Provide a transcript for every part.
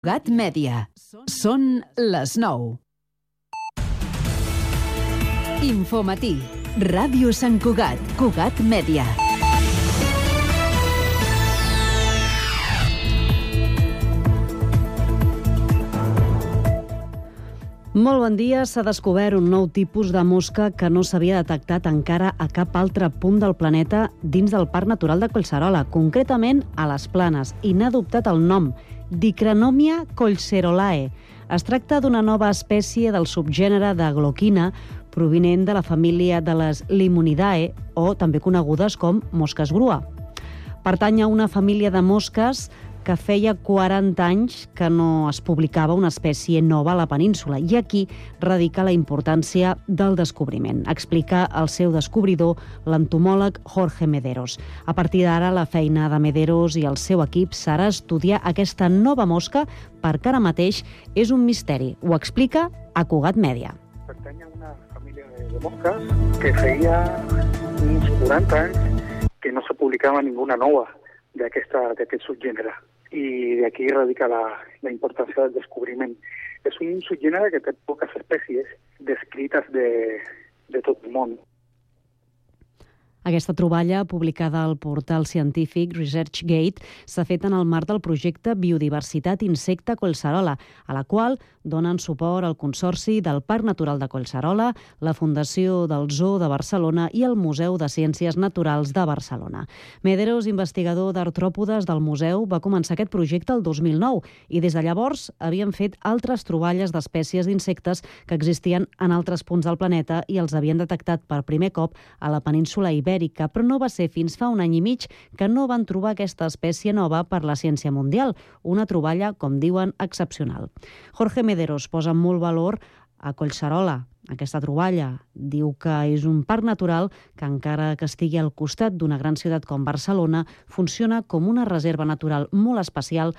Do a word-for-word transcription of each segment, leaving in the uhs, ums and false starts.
Cugat Mèdia. Són les nou. Infomatí. Ràdio Sant Cugat. Cugat Mèdia. Molt bon dia. S'ha descobert un nou tipus de mosca que no s'havia detectat encara a cap altre punt del planeta dins del Parc Natural de Collserola, concretament a les Planes, i n'ha adoptat el nom, Dicranomia collserolae. Es tracta d'una nova espècie del subgènere de gloquina provinent de la família de les Limonidae, o també conegudes com mosques grua. Pertany a una família de mosques que feia quaranta anys que no es publicava una espècie nova a la península, i aquí radica la importància del descobriment. Explica el seu descobridor, l'entomòleg Jorge Mederos. A partir d'ara, la feina de Mederos i el seu equip serà estudiar aquesta nova mosca, perquè ara mateix és un misteri. Ho explica a Cugat Mèdia. Pertany a una família de mosques que feia uns quaranta anys que no se publicava ninguna nova d'aquest subgènere. I d'aquí radica la, la importància del descobriment. És un subgènere que té poques espècies descrites de, de tot el món. Aquesta troballa, publicada al portal científic ResearchGate, s'ha fet en el marc del projecte Biodiversitat Insecte Collserola, a la qual donen suport el Consorci del Parc Natural de Collserola, la Fundació del Zoo de Barcelona i el Museu de Ciències Naturals de Barcelona. Mederos, investigador d'artròpodes del museu, va començar aquest projecte el dos mil nou i des de llavors havien fet altres troballes d'espècies d'insectes que existien en altres punts del planeta i els havien detectat per primer cop a la península Ibèrica, però no va ser fins fa un any i mig que no van trobar aquesta espècie nova per la ciència mundial, una troballa, com diuen, excepcional. Jorge Mederos posa molt valor a Collserola, aquesta troballa. Diu que és un parc natural que, encara que estigui al costat d'una gran ciutat com Barcelona, funciona com una reserva natural molt especial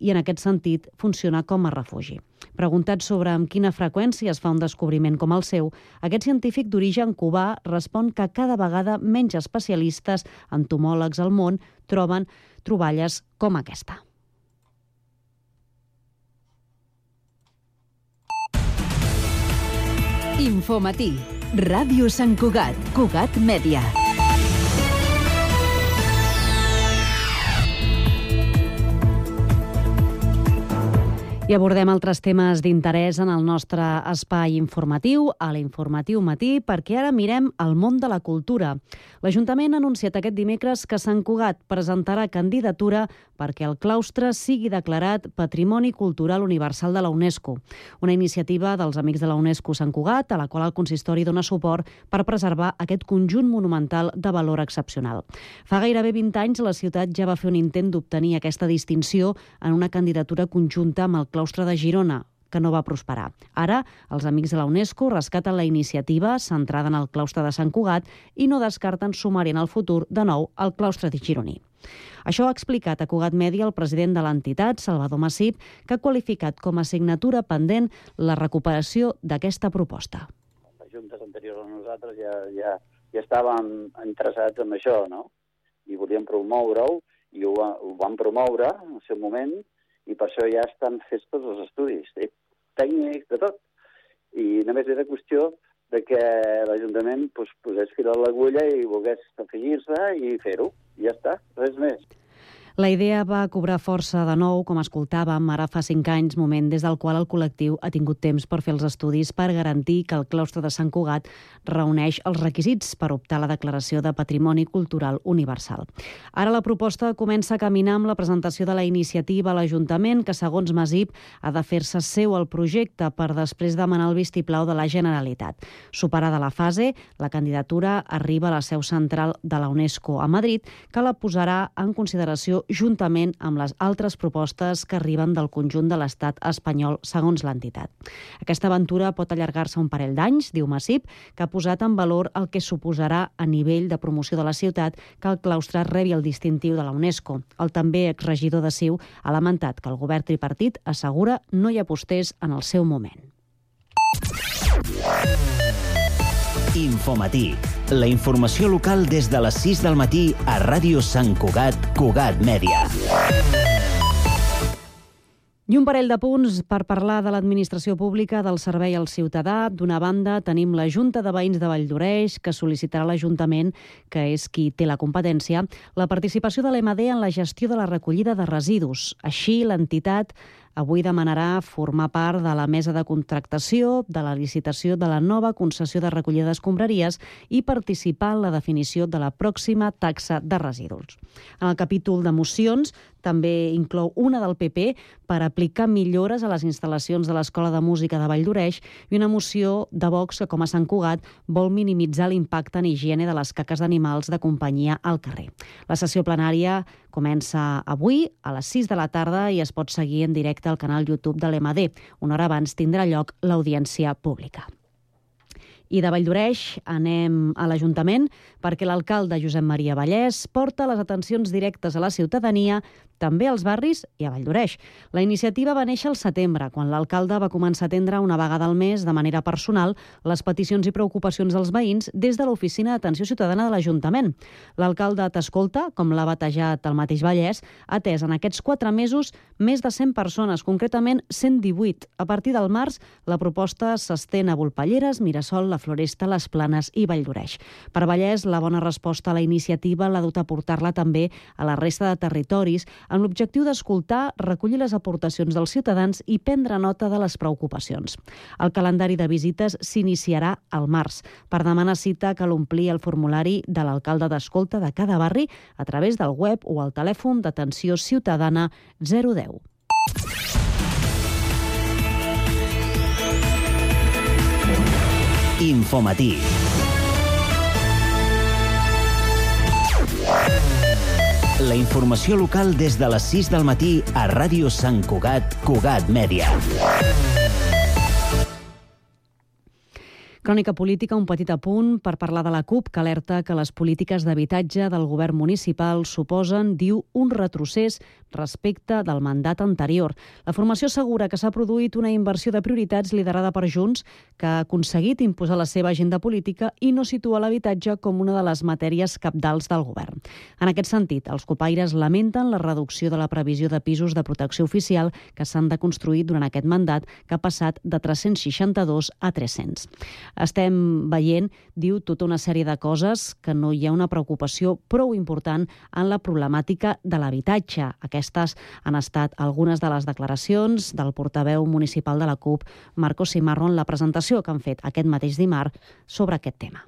i, en aquest sentit, funciona com a refugi. Preguntat sobre amb quina freqüència es fa un descobriment com el seu, aquest científic d'origen cubà respon que cada vegada menys especialistes, entomòlegs al món, troben troballes com aquesta. Infomatí. Ràdio Sant Cugat. Cugat Mèdia. I abordem altres temes d'interès en el nostre espai informatiu, a l'Informatiu Matí, perquè ara mirem el món de la cultura. L'Ajuntament ha anunciat aquest dimecres que Sant Cugat presentarà candidatura perquè el claustre sigui declarat Patrimoni Cultural Universal de la UNESCO, una iniciativa dels Amics de la UNESCO Sant Cugat, a la qual el consistori dona suport per preservar aquest conjunt monumental de valor excepcional. Fa gairebé vint anys la ciutat ja va fer un intent d'obtenir aquesta distinció en una candidatura conjunta amb el claustre de Girona, que no va prosperar. Ara, els Amics de la UNESCO rescaten la iniciativa centrada en el claustre de Sant Cugat i no descarten sumar-hi en el futur de nou el claustre de gironí. Això ha explicat a Cugat Mèdia el president de l'entitat, Salvador Massip, que ha qualificat com a assignatura pendent la recuperació d'aquesta proposta. Les juntes anteriors a nosaltres ja, ja, ja estàvem interessats en això, no? I volíem promoure-ho, i ho, ho vam promoure en el seu moment, i per això ja estan fets tots els estudis, eh? Tècnics, de tot. I només era qüestió de que l'Ajuntament pues, posés fil a l'agulla i volgués afegir-se i fer-ho. I ja està, res més. La idea va cobrar força de nou, com escoltàvem, ara fa cinc anys, moment des del qual el col·lectiu ha tingut temps per fer els estudis per garantir que el claustre de Sant Cugat reuneix els requisits per optar a la declaració de Patrimoni Cultural Universal. Ara la proposta comença a caminar amb la presentació de la iniciativa a l'Ajuntament, que, segons Masip, ha de fer-se seu el projecte per després demanar el vistiplau de la Generalitat. Superada la fase, la candidatura arriba a la seu central de la UNESCO a Madrid, que la posarà en consideració juntament amb les altres propostes que arriben del conjunt de l'estat espanyol, segons l'entitat. Aquesta aventura pot allargar-se un parell d'anys, diu Massip, que ha posat en valor el que suposarà a nivell de promoció de la ciutat que el claustre rebi el distintiu de la UNESCO. El també exregidor de Ciu ha lamentat que el govern tripartit assegura no hi apostés en el seu moment. Infomatí. La informació local des de les sis del matí a Ràdio Sant Cugat, Cugat Mèdia. I un parell de punts per parlar de l'administració pública del servei al ciutadà. D'una banda, tenim la Junta de Veïns de Valldoreix, que sol·licitarà a l'Ajuntament, que és qui té la competència, la participació de l'E M A D en la gestió de la recollida de residus. Així, l'entitat avui demanarà formar part de la mesa de contractació, de la licitació de la nova concessió de recollida d'escombraries i participar en la definició de la pròxima taxa de residus. En el capítol de mocions també inclou una del P P per aplicar millores a les instal·lacions de l'Escola de Música de Valldoreix i una moció de Vox que, com a Sant Cugat, vol minimitzar l'impacte en higiene de les caques d'animals de companyia al carrer. La sessió plenària comença avui a les sis de la tarda i es pot seguir en directe al canal YouTube de l'E M A D. Una hora abans tindrà lloc l'audiència pública. I de Valldoreix anem a l'Ajuntament perquè l'alcalde Josep Maria Vallès porta les atencions directes a la ciutadania, també als barris i a Valldoreix. La iniciativa va néixer al setembre, quan l'alcalde va començar a atendre una vegada al mes de manera personal les peticions i preocupacions dels veïns des de l'Oficina d'Atenció Ciutadana de l'Ajuntament. L'alcalde t'escolta, com l'ha batejat el mateix Vallès, ha atès en aquests quatre mesos més de cent persones, concretament cent divuit. A partir del març, la proposta s'estén a Volpelleres, Mirasol, la Floresta, les Planes i Valldoreix. Per Vallès, la bona resposta a la iniciativa l'ha dut a portar-la també a la resta de territoris, amb l'objectiu d'escoltar, recollir les aportacions dels ciutadans i prendre nota de les preocupacions. El calendari de visites s'iniciarà al març. Per demanar cita cal omplir el formulari de l'alcalde d'escolta de cada barri a través del web o al telèfon d'atenció ciutadana zero deu. Infomatí. La informació local des de les sis del matí a Ràdio Sant Cugat, Cugat Mèdia. Crònica política, un petit apunt per parlar de la CUP, que alerta que les polítiques d'habitatge del govern municipal suposen, diu, un retrocés respecte del mandat anterior. La formació assegura que s'ha produït una inversió de prioritats liderada per Junts, que ha aconseguit imposar la seva agenda política i no situa l'habitatge com una de les matèries cabdals del govern. En aquest sentit, els copaires lamenten la reducció de la previsió de pisos de protecció oficial que s'han de construir durant aquest mandat, que ha passat de tres-cents seixanta-dos a tres-cents. Estem veient, diu, tota una sèrie de coses que no hi ha una preocupació prou important en la problemàtica de l'habitatge. Aquestes han estat algunes de les declaracions del portaveu municipal de la CUP, Marco Simarro, en la presentació que han fet aquest mateix dimarts sobre aquest tema.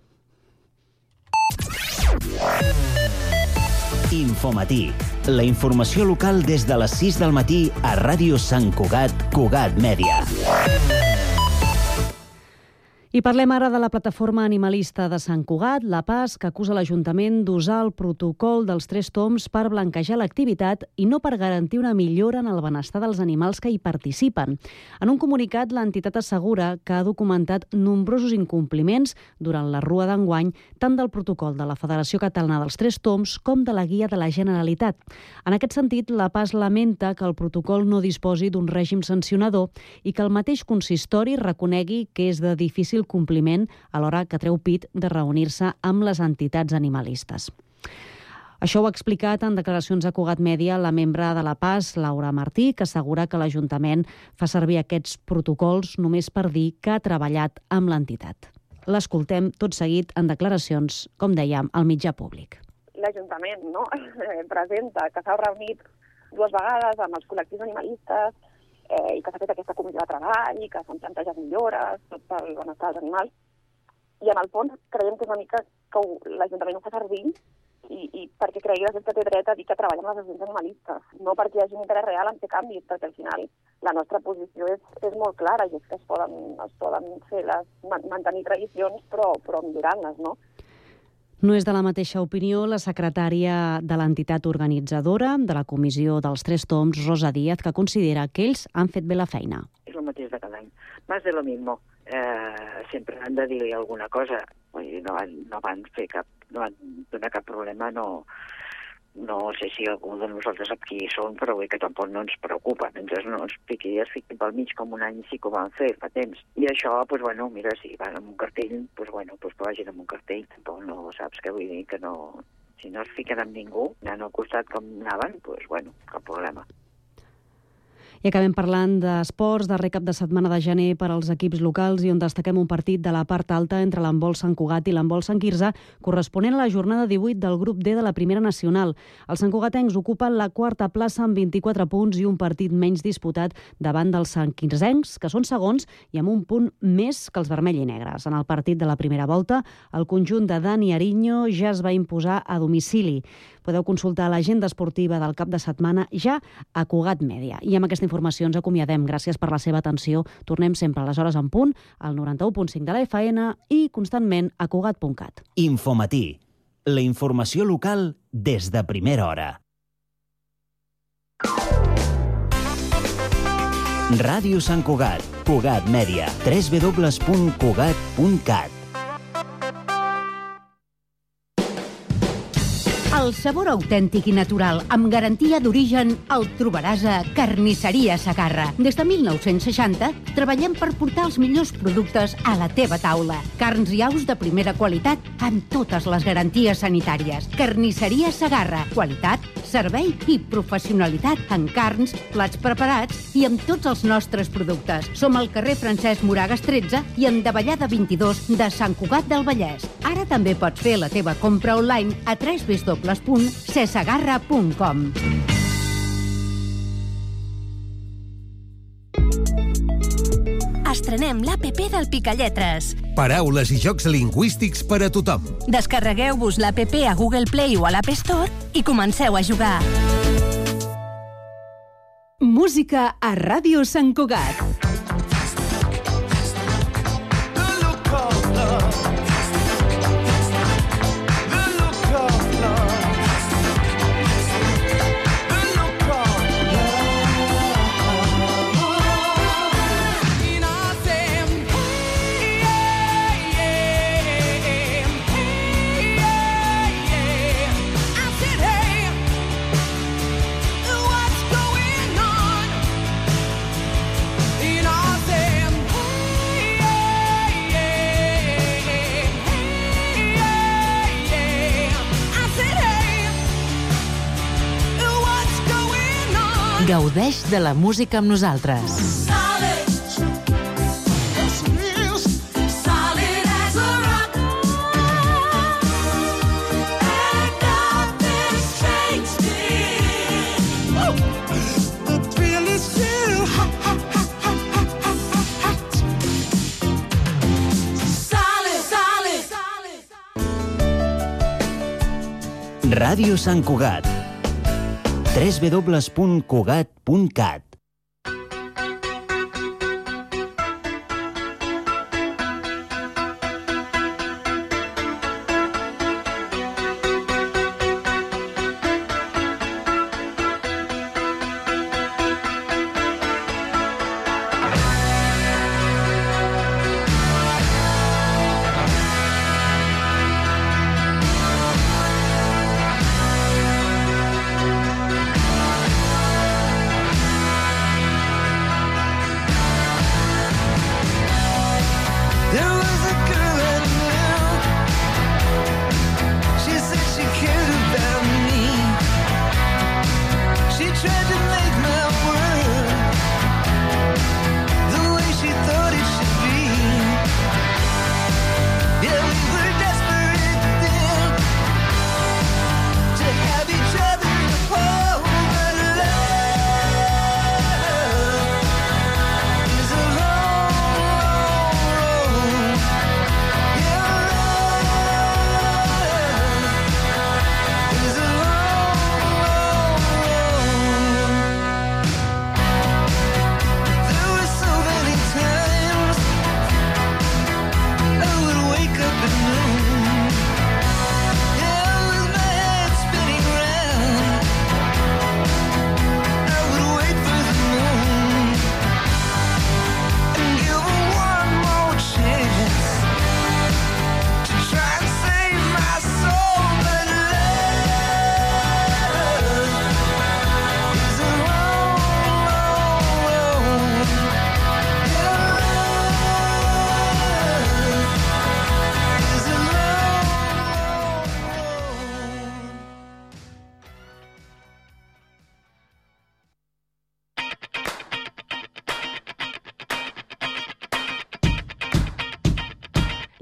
Infomatí. La informació local des de les sis del matí a Ràdio Sant Cugat, Cugat Mèdia. I parlem ara de la plataforma animalista de Sant Cugat, la P A S, que acusa l'Ajuntament d'usar el protocol dels tres tombs per blanquejar l'activitat i no per garantir una millora en el benestar dels animals que hi participen. En un comunicat, l'entitat assegura que ha documentat nombrosos incompliments durant la rua d'enguany, tant del protocol de la Federació Catalana dels Tres Tombs com de la Guia de la Generalitat. En aquest sentit, la P A S lamenta que el protocol no disposi d'un règim sancionador i que el mateix consistori reconegui que és de difícil compliment a l'hora que treu pit de reunir-se amb les entitats animalistes. Això ho ha explicat en declaracions a Cugat Mèdia la membre de la P A S, Laura Martí, que assegura que l'Ajuntament fa servir aquests protocols només per dir que ha treballat amb l'entitat. L'escoltem tot seguit en declaracions, com dèiem, al mitjà públic. L'Ajuntament, no?, presenta que s'ha reunit dues vegades amb els col·lectius animalistes eh, i que s'ha fet aquesta comissió de treball i que s'han plantejat millores, tot pel benestar dels animals. I en el fons creiem que és una mica que l'Ajuntament ho fa servir i, i perquè cregui que té dret a dir que treballa amb les associacions animalistes, no perquè hi hagi un interès real en fer canvis, perquè al final la nostra posició és, és molt clara i és que es poden, es poden fer les, mantenir tradicions però, però millorant-les, no? No és de la mateixa opinió la secretària de l'entitat organitzadora de la Comissió dels Tres Tombs, Rosa Díaz, que considera que ells han fet bé la feina. És el mateix de cada any. Más de lo mismo. Eh, sempre han de dir alguna cosa. No van, no van fer cap, no van donar cap problema, no, no sé si algú de nosaltres sap qui són, però bé que tampoc no ens preocupa. Entonces no ens fiqui, es fiqui pel mig com un any sí que ho van fer fa temps. I això, doncs bueno, mira, si van amb un cartell, doncs bueno, doncs que vagin amb un cartell. Tampoc no saps què vull dir, que no... Si no es fiquen amb ningú, anant al costat com anaven, doncs bueno, cap problema. I acabem parlant d'esports, darrer cap de setmana de gener per als equips locals i on destaquem un partit de la part alta entre l'handbol Sant Cugat i l'handbol Sant Quirze, corresponent a la jornada divuit del grup D de la primera nacional. Els santcugatencs ocupen la quarta plaça amb vint-i-quatre punts i un partit menys disputat davant dels santquirzencs, que són segons i amb un punt més que els vermell i negres. En el partit de la primera volta, el conjunt de Dani Ariño ja es va imposar a domicili. Podeu consultar l'agenda esportiva del cap de setmana ja a Cugat Mèdia. I amb aquesta informació ens acomiadem. Gràcies per la seva atenció. Tornem sempre a les hores en punt, al noranta-u punt cinc de la F M i constantment a cugat punt cat. Infomatí. La informació local des de primera hora. Ràdio Sant Cugat. Cugat Mèdia. w w w punt cugat punt cat. El sabor autèntic i natural, amb garantia d'origen, el trobaràs a Carnisseria Segarra. Des de mil nou-cents seixanta, treballem per portar els millors productes a la teva taula. Carns i aus de primera qualitat, amb totes les garanties sanitàries. Carnisseria Segarra. Qualitat, servei i professionalitat en carns, plats preparats i amb tots els nostres productes. Som al carrer Francesc Moragas tretze i en Davallada vint-i-dos de Sant Cugat del Vallès. Ara també pots fer la teva compra online a w w w punt cesegarra punt com. Estrenem l'A P P del Picalletres. Paraules i jocs lingüístics per a tothom. Descarregueu-vos l'A P P a Google Play o a l'App Store i comenceu a jugar. Música a Ràdio Sant Cugat. Gaudeix de la música amb nosaltres. Ràdio Sant Cugat. w w w punt cugat punt cat.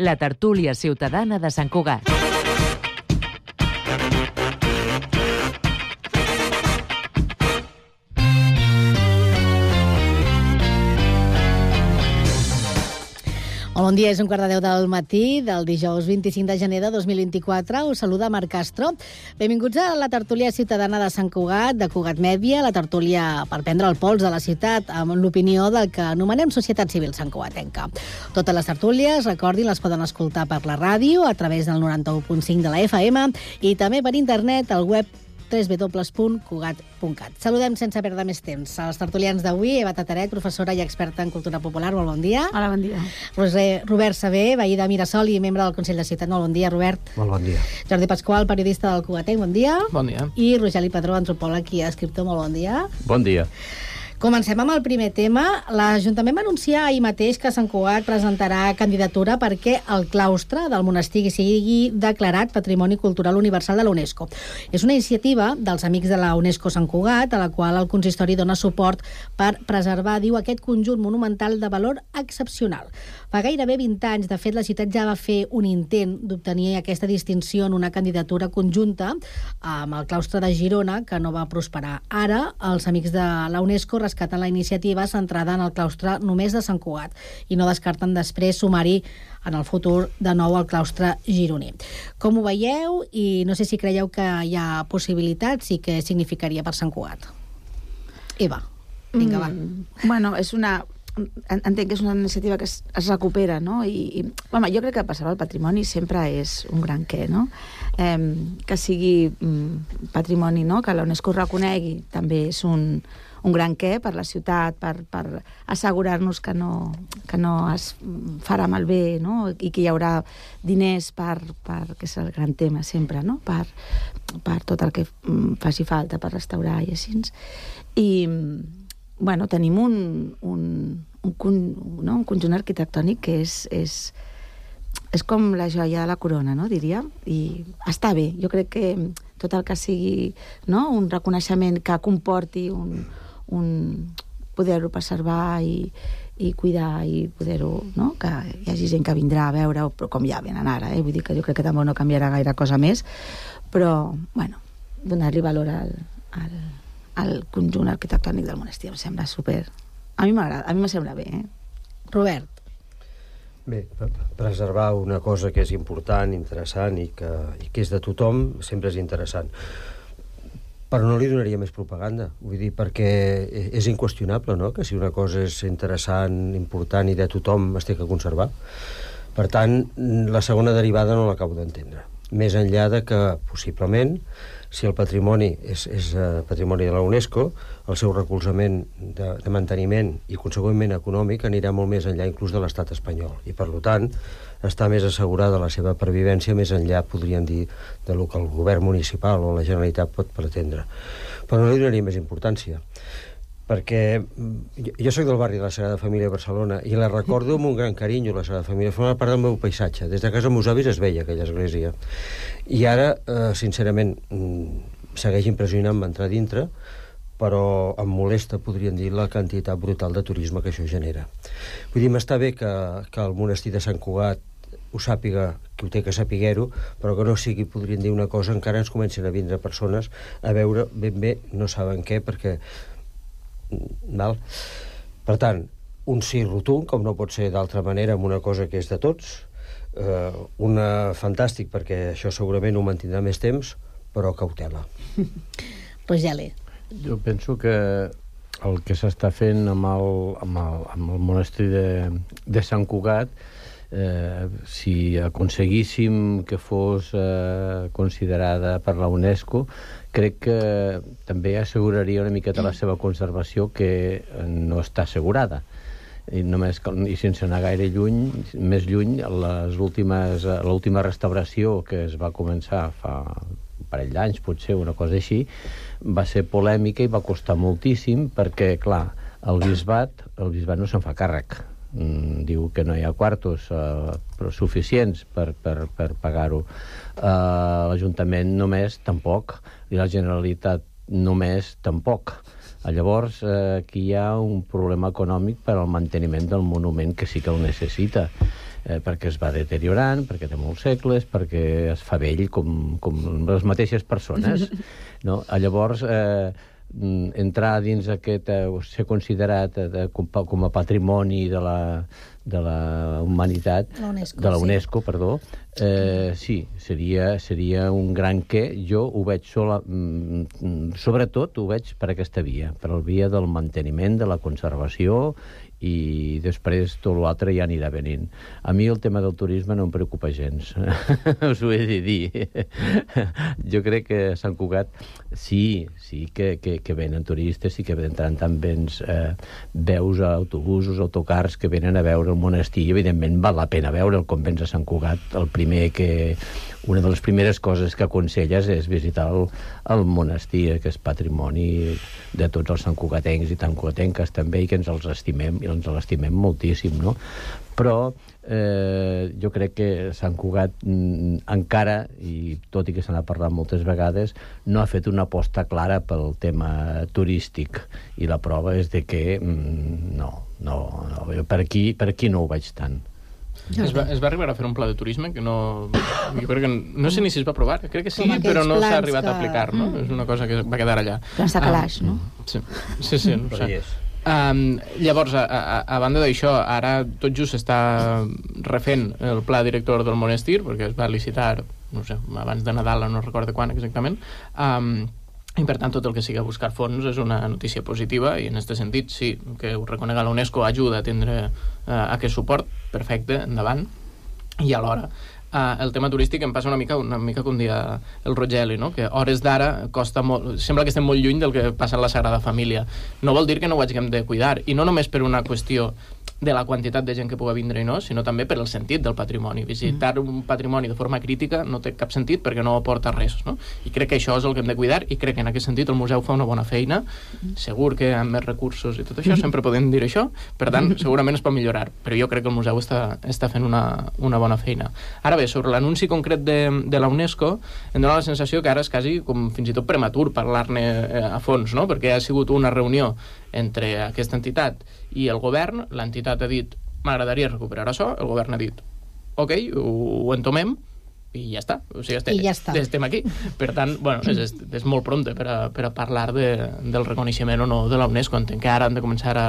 la tertúlia ciutadana de Sant Cugat. Molt bon dia, és un quart de deu del matí del dijous vint-i-cinc de gener de dos mil vint-i-quatre. Us saluda Marc Castro. Benvinguts a la tertúlia ciutadana de Sant Cugat, de Cugat Mèdia, la tertúlia per prendre el pols de la ciutat amb l'opinió del que anomenem Societat Civil Santcugatenca. Totes les tertúlies, recordin, les poden escoltar per la ràdio a través del noranta-u punt cinc de la F M i també per internet al web w w w punt cugat punt cat. Saludem sense perdre més temps als tertulians d'avui. Eva Tataret, professora i experta en cultura popular. Molt bon dia. Hola, bon dia. Roser, Robert Saber, veí de Mirasol i membre del Consell de Ciutat. Molt bon dia, Robert. Molt bon dia. Jordi Pasqual, periodista del Cugatenc. Bon dia. Bon dia. I Rogeli Padró, antropòleg i escriptor. Molt bon dia. Bon dia. Comencem amb el primer tema. L'Ajuntament va anunciar ahir mateix que Sant Cugat presentarà candidatura perquè el claustre del monestir sigui declarat Patrimoni Cultural Universal de la UNESCO. És una iniciativa dels Amics de la UNESCO Sant Cugat, a la qual el consistori dona suport per preservar, diu, aquest conjunt monumental de valor excepcional. Fa gairebé vint anys, de fet, la ciutat ja va fer un intent d'obtenir aquesta distinció en una candidatura conjunta amb el claustre de Girona, que no va prosperar. Ara, els Amics de la UNESCO rescaten la iniciativa centrada en el claustre només de Sant Cugat i no descarten després sumar-hi en el futur de nou el claustre gironí. Com ho veieu? I no sé si creieu que hi ha possibilitats i què significaria per Sant Cugat. Eva, vinga, va. Mm, bueno, és una... entenc que és una iniciativa que es, es recupera, no? I, i home, jo crec que preservar el patrimoni sempre és un gran què, no? Eh, que sigui mm, patrimoni, no? Que la UNESCO reconegui també és un, un gran què per la ciutat, per, per assegurar-nos que no, que no es farà malbé, no? I que hi haurà diners per, per que és el gran tema sempre, no? Per, per tot el que faci falta per restaurar i així. I bueno, tenim un, un, un, no? un conjunt arquitectònic que és, és, és com la joia de la corona, no? Diria, i està bé. Jo crec que tot el que sigui, no? Un reconeixement que comporti un, un poder-ho preservar i, i cuidar i poder-ho, no? Que hi hagi gent que vindrà a veure, però com ja venen ara, eh? Vull dir que jo crec que també no canviarà gaire cosa més, però, bueno, donar-li valor al, al el conjunt arquitectònic del monestir em sembla super... A mi m'agrada, a mi me sembla bé, eh? Robert. Bé, preservar una cosa que és important, interessant i que, i que és de tothom sempre és interessant. Però no li donaria més propaganda. Vull dir, perquè és inqüestionable, no?, que si una cosa és interessant, important i de tothom es té que conservar. Per tant, la segona derivada no l'acabo d'entendre. Més enllà de que, possiblement, si el patrimoni és, és uh, patrimoni de la UNESCO, el seu recolzament de, de manteniment i, consegüentment, econòmic anirà molt més enllà inclús de l'estat espanyol. I, per tant, està més assegurada la seva pervivència més enllà, podríem dir, de lo que el govern municipal o la Generalitat pot pretendre. Però no li donaria més importància, perquè jo, jo soc del barri de la Sagrada Família de Barcelona i la recordo amb un gran carinyo, la Sagrada Família, forma part del meu paisatge. Des de casa dels meus avis es veia aquella església. I ara, eh, sincerament, segueix impressionant-me entrar dintre, però em molesta, podríem dir, la quantitat brutal de turisme que això genera. Vull dir, m'està bé que, que el monestir de Sant Cugat ho sàpiga, que ho té que sapiguer-ho, però que no sigui, podríem dir, una cosa, encara ens comencen a vindre persones a veure ben bé, no saben què, perquè... Val? Per tant, un sí rotund, com no pot ser d'altra manera, amb una cosa que és de tots, eh, una fantàstic, perquè això segurament ho mantindrà més temps, però cautela. Rogeli. Jo penso que el que s'està fent amb el, amb el, amb el monestir de, de Sant Cugat, eh, si aconseguíssim que fos eh, considerada per la UNESCO, crec que també asseguraria una miqueta la seva conservació, que no està assegurada. I, només, i sense anar gaire lluny, més lluny, les últimes, l'última restauració que es va començar fa un parell d'anys, potser, una cosa així, va ser polèmica i va costar moltíssim perquè, clar, el bisbat, el bisbat no se'n fa càrrec. Mm, diu que no hi ha quartos uh, però suficients per, per, per pagar-ho. Uh, L'Ajuntament només tampoc, i la Generalitat només tampoc. Llavors, eh, aquí hi ha un problema econòmic per al manteniment del monument, que sí que el necessita. eh, perquè es va deteriorant, perquè té molts segles, perquè es fa vell com, com les mateixes persones. No? Llavors, eh, entrar dins aquest, eh, ser considerat eh, com, com a patrimoni de la, de la humanitat, la UNESCO, de la UNESCO, sí. perdó, eh, sí, seria, seria un gran què. Jo ho veig sola, mm, sobretot ho veig per aquesta via, per la via del manteniment, de la conservació, i després tot l'altre ja anirà venint. A mi el tema del turisme no em preocupa gens, us ho he de dir. Jo crec que a Sant Cugat sí, sí que, que, que venen turistes, sí que venen tant vens, eh, veus autobusos, autocars que venen a veure el monestir, i evidentment val la pena veure el convent de Sant Cugat. El primer que... Una de les primeres coses que aconselles és visitar el, el monestir, que és patrimoni de tots els santcugatencs i santcugatenques també, i que ens els estimem, i ens l'estimem moltíssim, no? Però eh, jo crec que Sant Cugat mm, encara, i tot i que se n'ha parlat moltes vegades, no ha fet una aposta clara pel tema turístic, i la prova és de que mm, no, no, no, per aquí, per aquí no ho veig tant. Es va, es va arribar a fer un pla de turisme que no... Jo crec que no sé ni si es va aprovar, crec que sí, però no s'ha arribat que... a aplicar, no? Mm. És una cosa que va quedar allà. Plans de calaix, ah, no? Sí, sí, sí no sé. Um, llavors, a, a, a banda d'això, ara tot just s'està refent el pla director del monestir, perquè es va licitar, no sé, abans de Nadal, no recordo quan exactament, um, i per tant tot el que sigui a buscar fons és una notícia positiva, i en aquest sentit sí, que ho reconega la UNESCO ajuda a tindre uh, aquest suport, perfecte, endavant. I alhora uh, el tema turístic em passa una mica una mica com dia el Rogeli, no? Que hores d'ara costa molt, sembla que estem molt lluny del que passa en la Sagrada Família. No vol dir que no ho hàgim de cuidar, i no només per una qüestió de la quantitat de gent que pugui vindre i no, sinó també per el sentit del patrimoni. Visitar mm. un patrimoni de forma crítica no té cap sentit perquè no aporta res, no? I crec que això és el que hem de cuidar, i crec que en aquest sentit el museu fa una bona feina. Mm. Segur que amb més recursos i tot això, sempre podem dir això, per tant, segurament es pot millorar, però jo crec que el museu està, està fent una, una bona feina. Ara bé, sobre l'anunci concret de, de la UNESCO, em dona la sensació que ara és quasi com fins i tot prematur parlar-ne a fons, no? Perquè ha sigut una reunió entre aquesta entitat i el govern. L'entitat ha dit, m'agradaria recuperar això, el govern ha dit, ok, ho, ho entomem, i ja està, o sigui, estem, ja està. estem aquí. Per tant, bueno, és, és molt pronte per a, per a parlar de, del reconeixement o no de la UNESCO. Entenc que ara han de començar a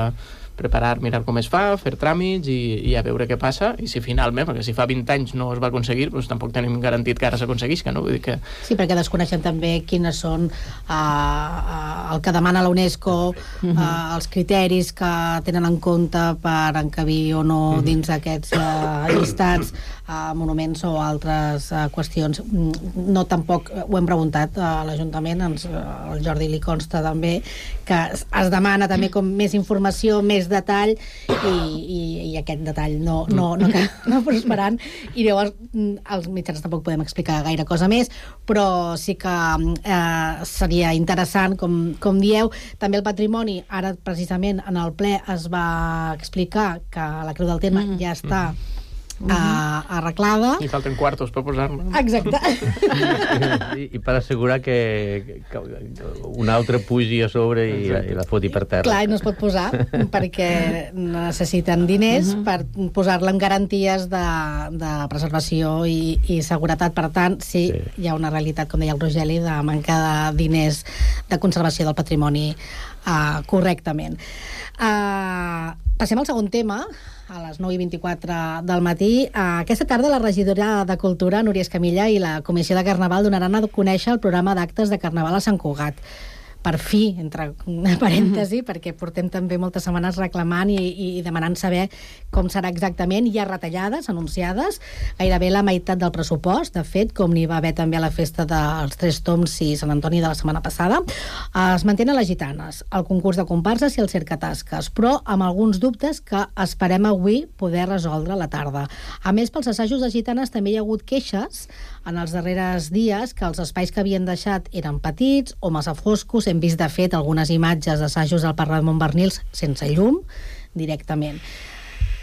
preparar, mirar com es fa, fer tràmits i, i a veure què passa, i si finalment, perquè si fa vint anys no es va aconseguir, doncs tampoc tenim garantit que ara s'aconseguisca, no? Vull dir que... Sí, perquè desconeixen també quines són uh, uh, el que demana la UNESCO, uh, els criteris que tenen en compte per encabir o no dins d'aquests uh, llistats, uh, monuments o altres uh, qüestions. No tampoc ho hem preguntat a l'Ajuntament, ens, uh, el Jordi li consta també que es demana també com més informació, més detall, i, i, i aquest detall no, no, no, no prosperant, i llavors els mitjans tampoc podem explicar gaire cosa més, però sí que eh, seria interessant, com, com dieu. També el patrimoni, ara precisament en el ple es va explicar que la Creu del Terme mm. ja està Uh, arreglada. I falten quartos per posar-la. Exacte. I, i per assegurar que, que un altre pugi a sobre i, i la foti per terra. Clar, no es pot posar perquè necessiten diners uh -huh. per posar-la en garanties de, de preservació i, i seguretat. Per tant, sí, sí, hi ha una realitat, com deia el Rogeli, de manca de diners de conservació del patrimoni uh, correctament. Uh, passem al segon tema, a les nou i vint-i-quatre del matí. Aquesta tarda la regidora de Cultura, Núria Escamilla, i la Comissió de Carnaval donaran a conèixer el programa d'actes de Carnaval a Sant Cugat. Per fi, entre parèntesi, mm-hmm. perquè portem també moltes setmanes reclamant i, i demanant saber com serà exactament. Hi ha retallades anunciades, gairebé la meitat del pressupost, de fet, com n'hi va haver també a la festa dels Tres Toms i Sant Antoni de la setmana passada. Es mantenen les gitanes, el concurs de comparses i el cercatasques, però amb alguns dubtes que esperem avui poder resoldre a la tarda. A més, pels assajos de gitanes també hi ha hagut queixes en els darrers dies que els espais que havien deixat eren petits o massa foscos. Hem vist, de fet, algunes imatges d'assajos al Parc de Montbernils sense llum, directament.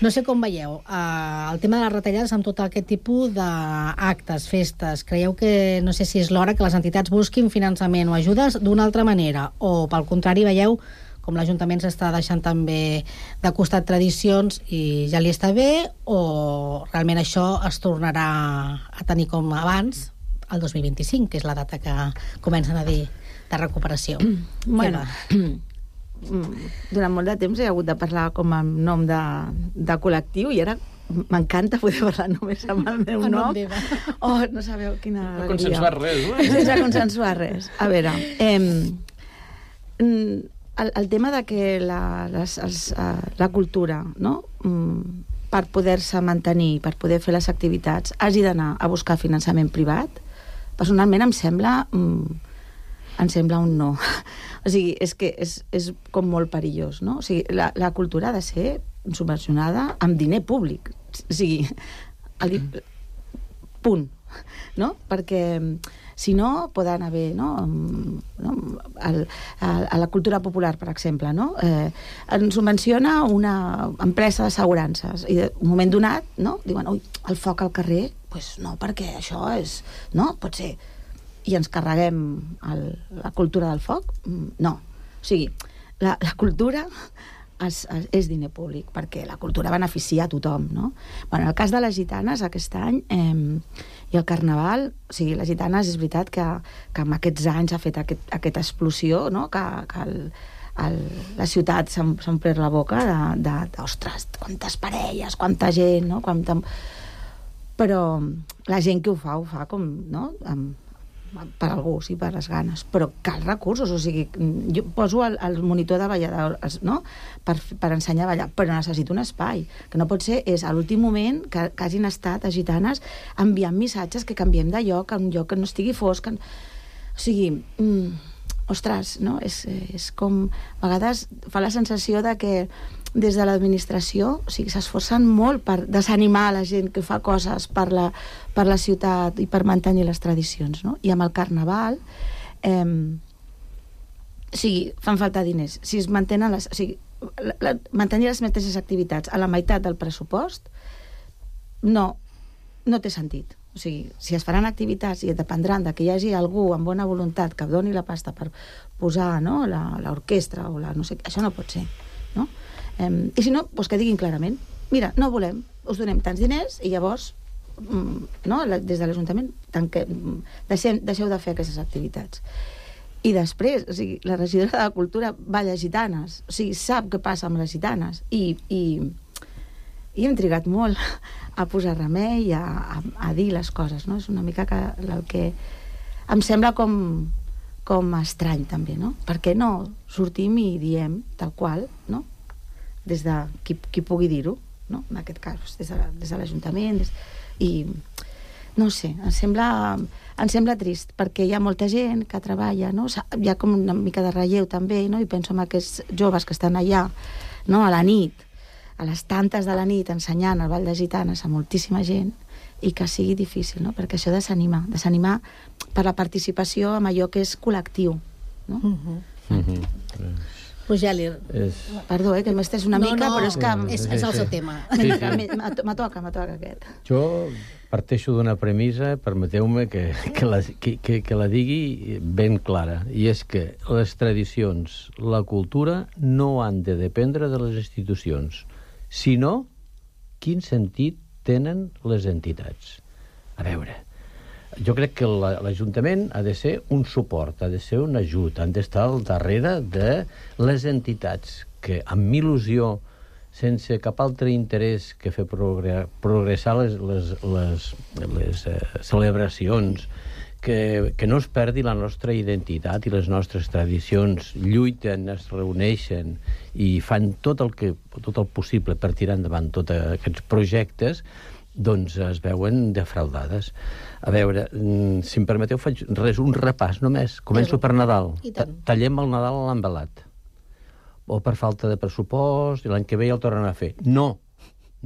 No sé com veieu uh, el tema de les retallades amb tot aquest tipus d'actes, festes. Creieu que, no sé si és l'hora que les entitats busquin finançament o ajudes d'una altra manera, o pel contrari veieu com com l'Ajuntament s'està deixant també de costat tradicions i ja li està bé, o realment això es tornarà a tenir com abans el dos mil vint-i-cinc, que és la data que comencen a dir de recuperació? Bueno, durant molt de temps he hagut de parlar com a nom de, de col·lectiu i ara m'encanta poder parlar només amb el meu El nom nom. d'Eva. Oh, no sabeu quina No alegria. consensuar res, no? Sense consensuar res. A veure, eh, el, el tema de que la, les, els, uh, la cultura, no?, mm, per poder-se mantenir, per poder fer les activitats, hagi d'anar a buscar finançament privat, personalment em sembla... Mm, em sembla un no. O sigui, és que és, és com molt perillós, no? O sigui, la, la cultura ha de ser subvencionada amb diner públic. O sigui, el, punt. No? Perquè si no, poden haver, no? No? El, el, a la cultura popular, per exemple, no? Eh, ens subvenciona una empresa d'assegurances i en un moment donat, no? Diuen, ui, el foc al carrer, pues no, perquè això és... No? Pot ser... i ens carreguem el, la cultura del foc? No. O sigui, la, la cultura és, és diner públic, perquè la cultura beneficia a tothom, no? Bueno, en el cas de les gitanes, aquest any, eh, i el carnaval, o sigui, les gitanes és veritat que, que en aquests anys ha fet aquest, aquesta explosió, no?, que, que el, el, la ciutat s'ha omplert la boca de, de, de, ostres, quantes parelles, quanta gent, no?, quanta... Però la gent que ho fa, ho fa com, no?, amb per algú, sí, per les ganes, però cal recursos, o sigui, jo poso el, el monitor de ballador, no?, per, per ensenyar a ballar, però necessito un espai, que no pot ser, és a l'últim moment que, que hagin estat a gitanes enviant missatges que canviem de lloc, a un lloc que no estigui fosc, que... o sigui, mm, ostres, no?, és, és com, a vegades fa la sensació de que des de l'administració, o sigui, s'esforcen molt per desanimar la gent que fa coses per la, per la ciutat i per mantenir les tradicions, no? I amb el carnaval, eh, o sigui, fan falta diners. Si es mantenen les... O sigui, la, la, mantenir les mateixes activitats a la meitat del pressupost no, no té sentit. O sigui, si es faran activitats i dependran de que hi hagi algú amb bona voluntat que doni la pasta per posar, no?, l'orquestra o la no sé, això no pot ser, no? Um, I si no, doncs que diguin clarament, mira, no volem, us donem tants diners i llavors, mm, no, la, des de l'Ajuntament tanque, deixem, deixeu de fer aquestes activitats. I després, o sigui, la regidora de Cultura balla gitanes, o sigui, sap què passa amb les gitanes i, i, i hem trigat molt a posar remei, a, a, a dir les coses, no? És una mica que, el que em sembla com, com estrany també, no? Per què no sortim i diem tal qual, no?, des de qui, qui pugui dir-ho, no?, en aquest cas, des de, des de l'Ajuntament, des... i no sé, em sembla, em sembla trist, perquè hi ha molta gent que treballa, no?, hi ha com una mica de relleu també, no?, i penso en aquests joves que estan allà, no?, a la nit, a les tantes de la nit, ensenyant el Ball de Gitanes a moltíssima gent, i que sigui difícil, no?, perquè això desanima, desanima per la participació en allò que és col·lectiu, no? Mm-hmm. Mm-hmm. Rogeli. És... Perdó, eh, que m'estès una no, mica, no, però és que... És, és el seu tema. Sí, sí. Me toca, me toca aquest. Jo parteixo d'una premissa, permeteu-me que, que, la, que, que, que la digui ben clara, i és que les tradicions, la cultura, no han de dependre de les institucions, sinó quin sentit tenen les entitats. A veure, jo crec que l'Ajuntament ha de ser un suport, ha de ser un ajut, han d'estar al darrere de les entitats que, amb il·lusió, sense cap altre interès que fer progressar les, les, les, les eh, celebracions, que, que no es perdi la nostra identitat i les nostres tradicions, lluiten, es reuneixen i fan tot el, que, tot el possible per tirar endavant tots aquests projectes, doncs es veuen defraudades. A veure, si em permeteu, faig res, un repàs només. Començo per Nadal. Tallem el Nadal a l'envelat. O per falta de pressupost, i l'any que ve ja el tornen a fer. No,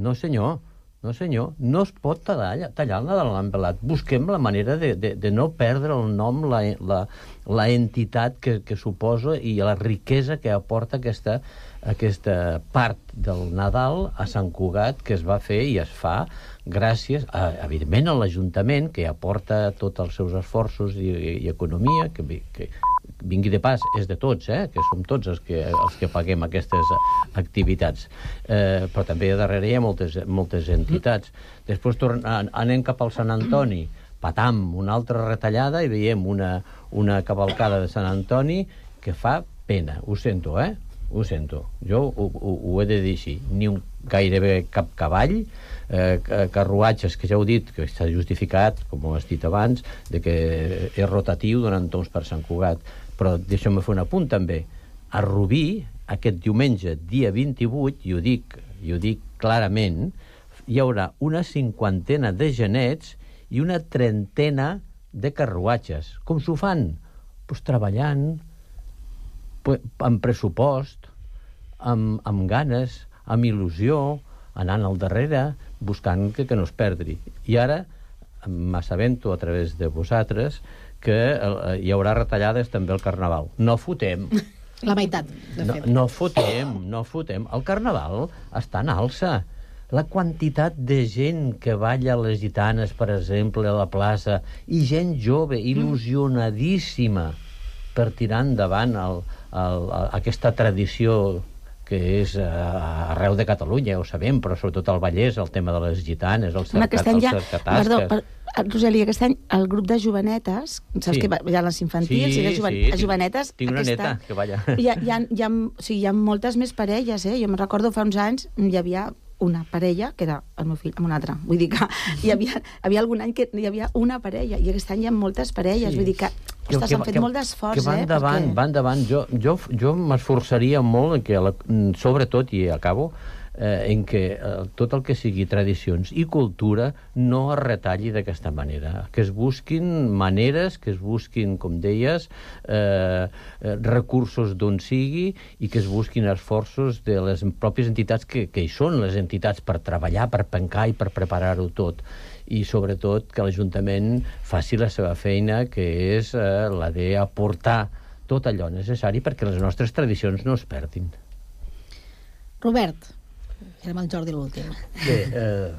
no senyor, no senyor, no es pot tallar, tallar el Nadal a l'envelat. Busquem la manera de, de, de no perdre el nom, la, la, la entitat que, que suposa i la riquesa que aporta aquesta, aquesta part del Nadal a Sant Cugat, que es va fer i es fa gràcies, a, evidentment, a l'Ajuntament, que aporta tots els seus esforços i, i, i economia, que, que vingui de pas, és de tots, eh? Que som tots els que, els que paguem aquestes activitats. Eh, però també darrere hi ha moltes, moltes entitats. Després tornem, anem cap al Sant Antoni, patam, una altra retallada, i veiem una, una cavalcada de Sant Antoni que fa pena. Ho sento, eh? Ho sento. Jo ho, ho, ho he de dir així. Ni un, gairebé cap cavall, eh, carruatges, que ja heu dit, que està justificat, com ho has dit abans, de que és rotatiu donant torns per Sant Cugat. Però deixa'm fer un apunt, també. A Rubí, aquest diumenge, dia vint-i-vuit, i ho dic, i ho dic clarament, hi haurà una cinquantena de genets i una trentena de carruatges. Com s'ho fan? Pues treballant, amb pressupost, amb, amb ganes, amb il·lusió, anant al darrere, buscant que, que no es perdi. I ara m'assabento a través de vosaltres que eh, hi haurà retallades també al Carnaval. No fotem. La meitat, de fet. No, no fotem, no fotem. El Carnaval està en alça. La quantitat de gent que balla les gitanes, per exemple, a la plaça, i gent jove, il·lusionadíssima, per tirar endavant el, el, aquesta tradició que és uh, arreu de Catalunya, ho sabem, però sobretot al Vallès, el tema de les gitanes, els cercatasques... Perdó, per, Rosalia, aquest any el grup de jovenetes, saps Sí. que hi ha les infantils Sí, i les joven... sí, les jovenetes... tinc una aquesta- neta que balla. Hi ha, hi, ha, hi, ha, o sigui, hi ha moltes més parelles, eh? Jo me'n recordo fa uns anys hi havia una parella, que era el meu fill, amb una altra. Vull dir que hi havia, havia algun any que hi havia una parella, i aquest any hi ha moltes parelles. Sí. Vull dir que, Que- ostres, que- han fet que- molt d'esforç, que van eh? davant, perquè- van davant. Jo, jo, jo m'esforçaria molt en que, la, sobretot, i acabo, eh, en que eh, tot el que sigui tradicions i cultura no es retalli d'aquesta manera. Que es busquin maneres, que es busquin, com deies, eh, eh, recursos d'on sigui, i que es busquin esforços de les pròpies entitats que, que hi són, les entitats per treballar, per pencar i per preparar-ho tot. I sobretot que l'Ajuntament faci la seva feina, que és eh, la d'aportar tot allò necessari perquè les nostres tradicions no es perdin. Robert, érem el Jordi l'últim. Bé, eh,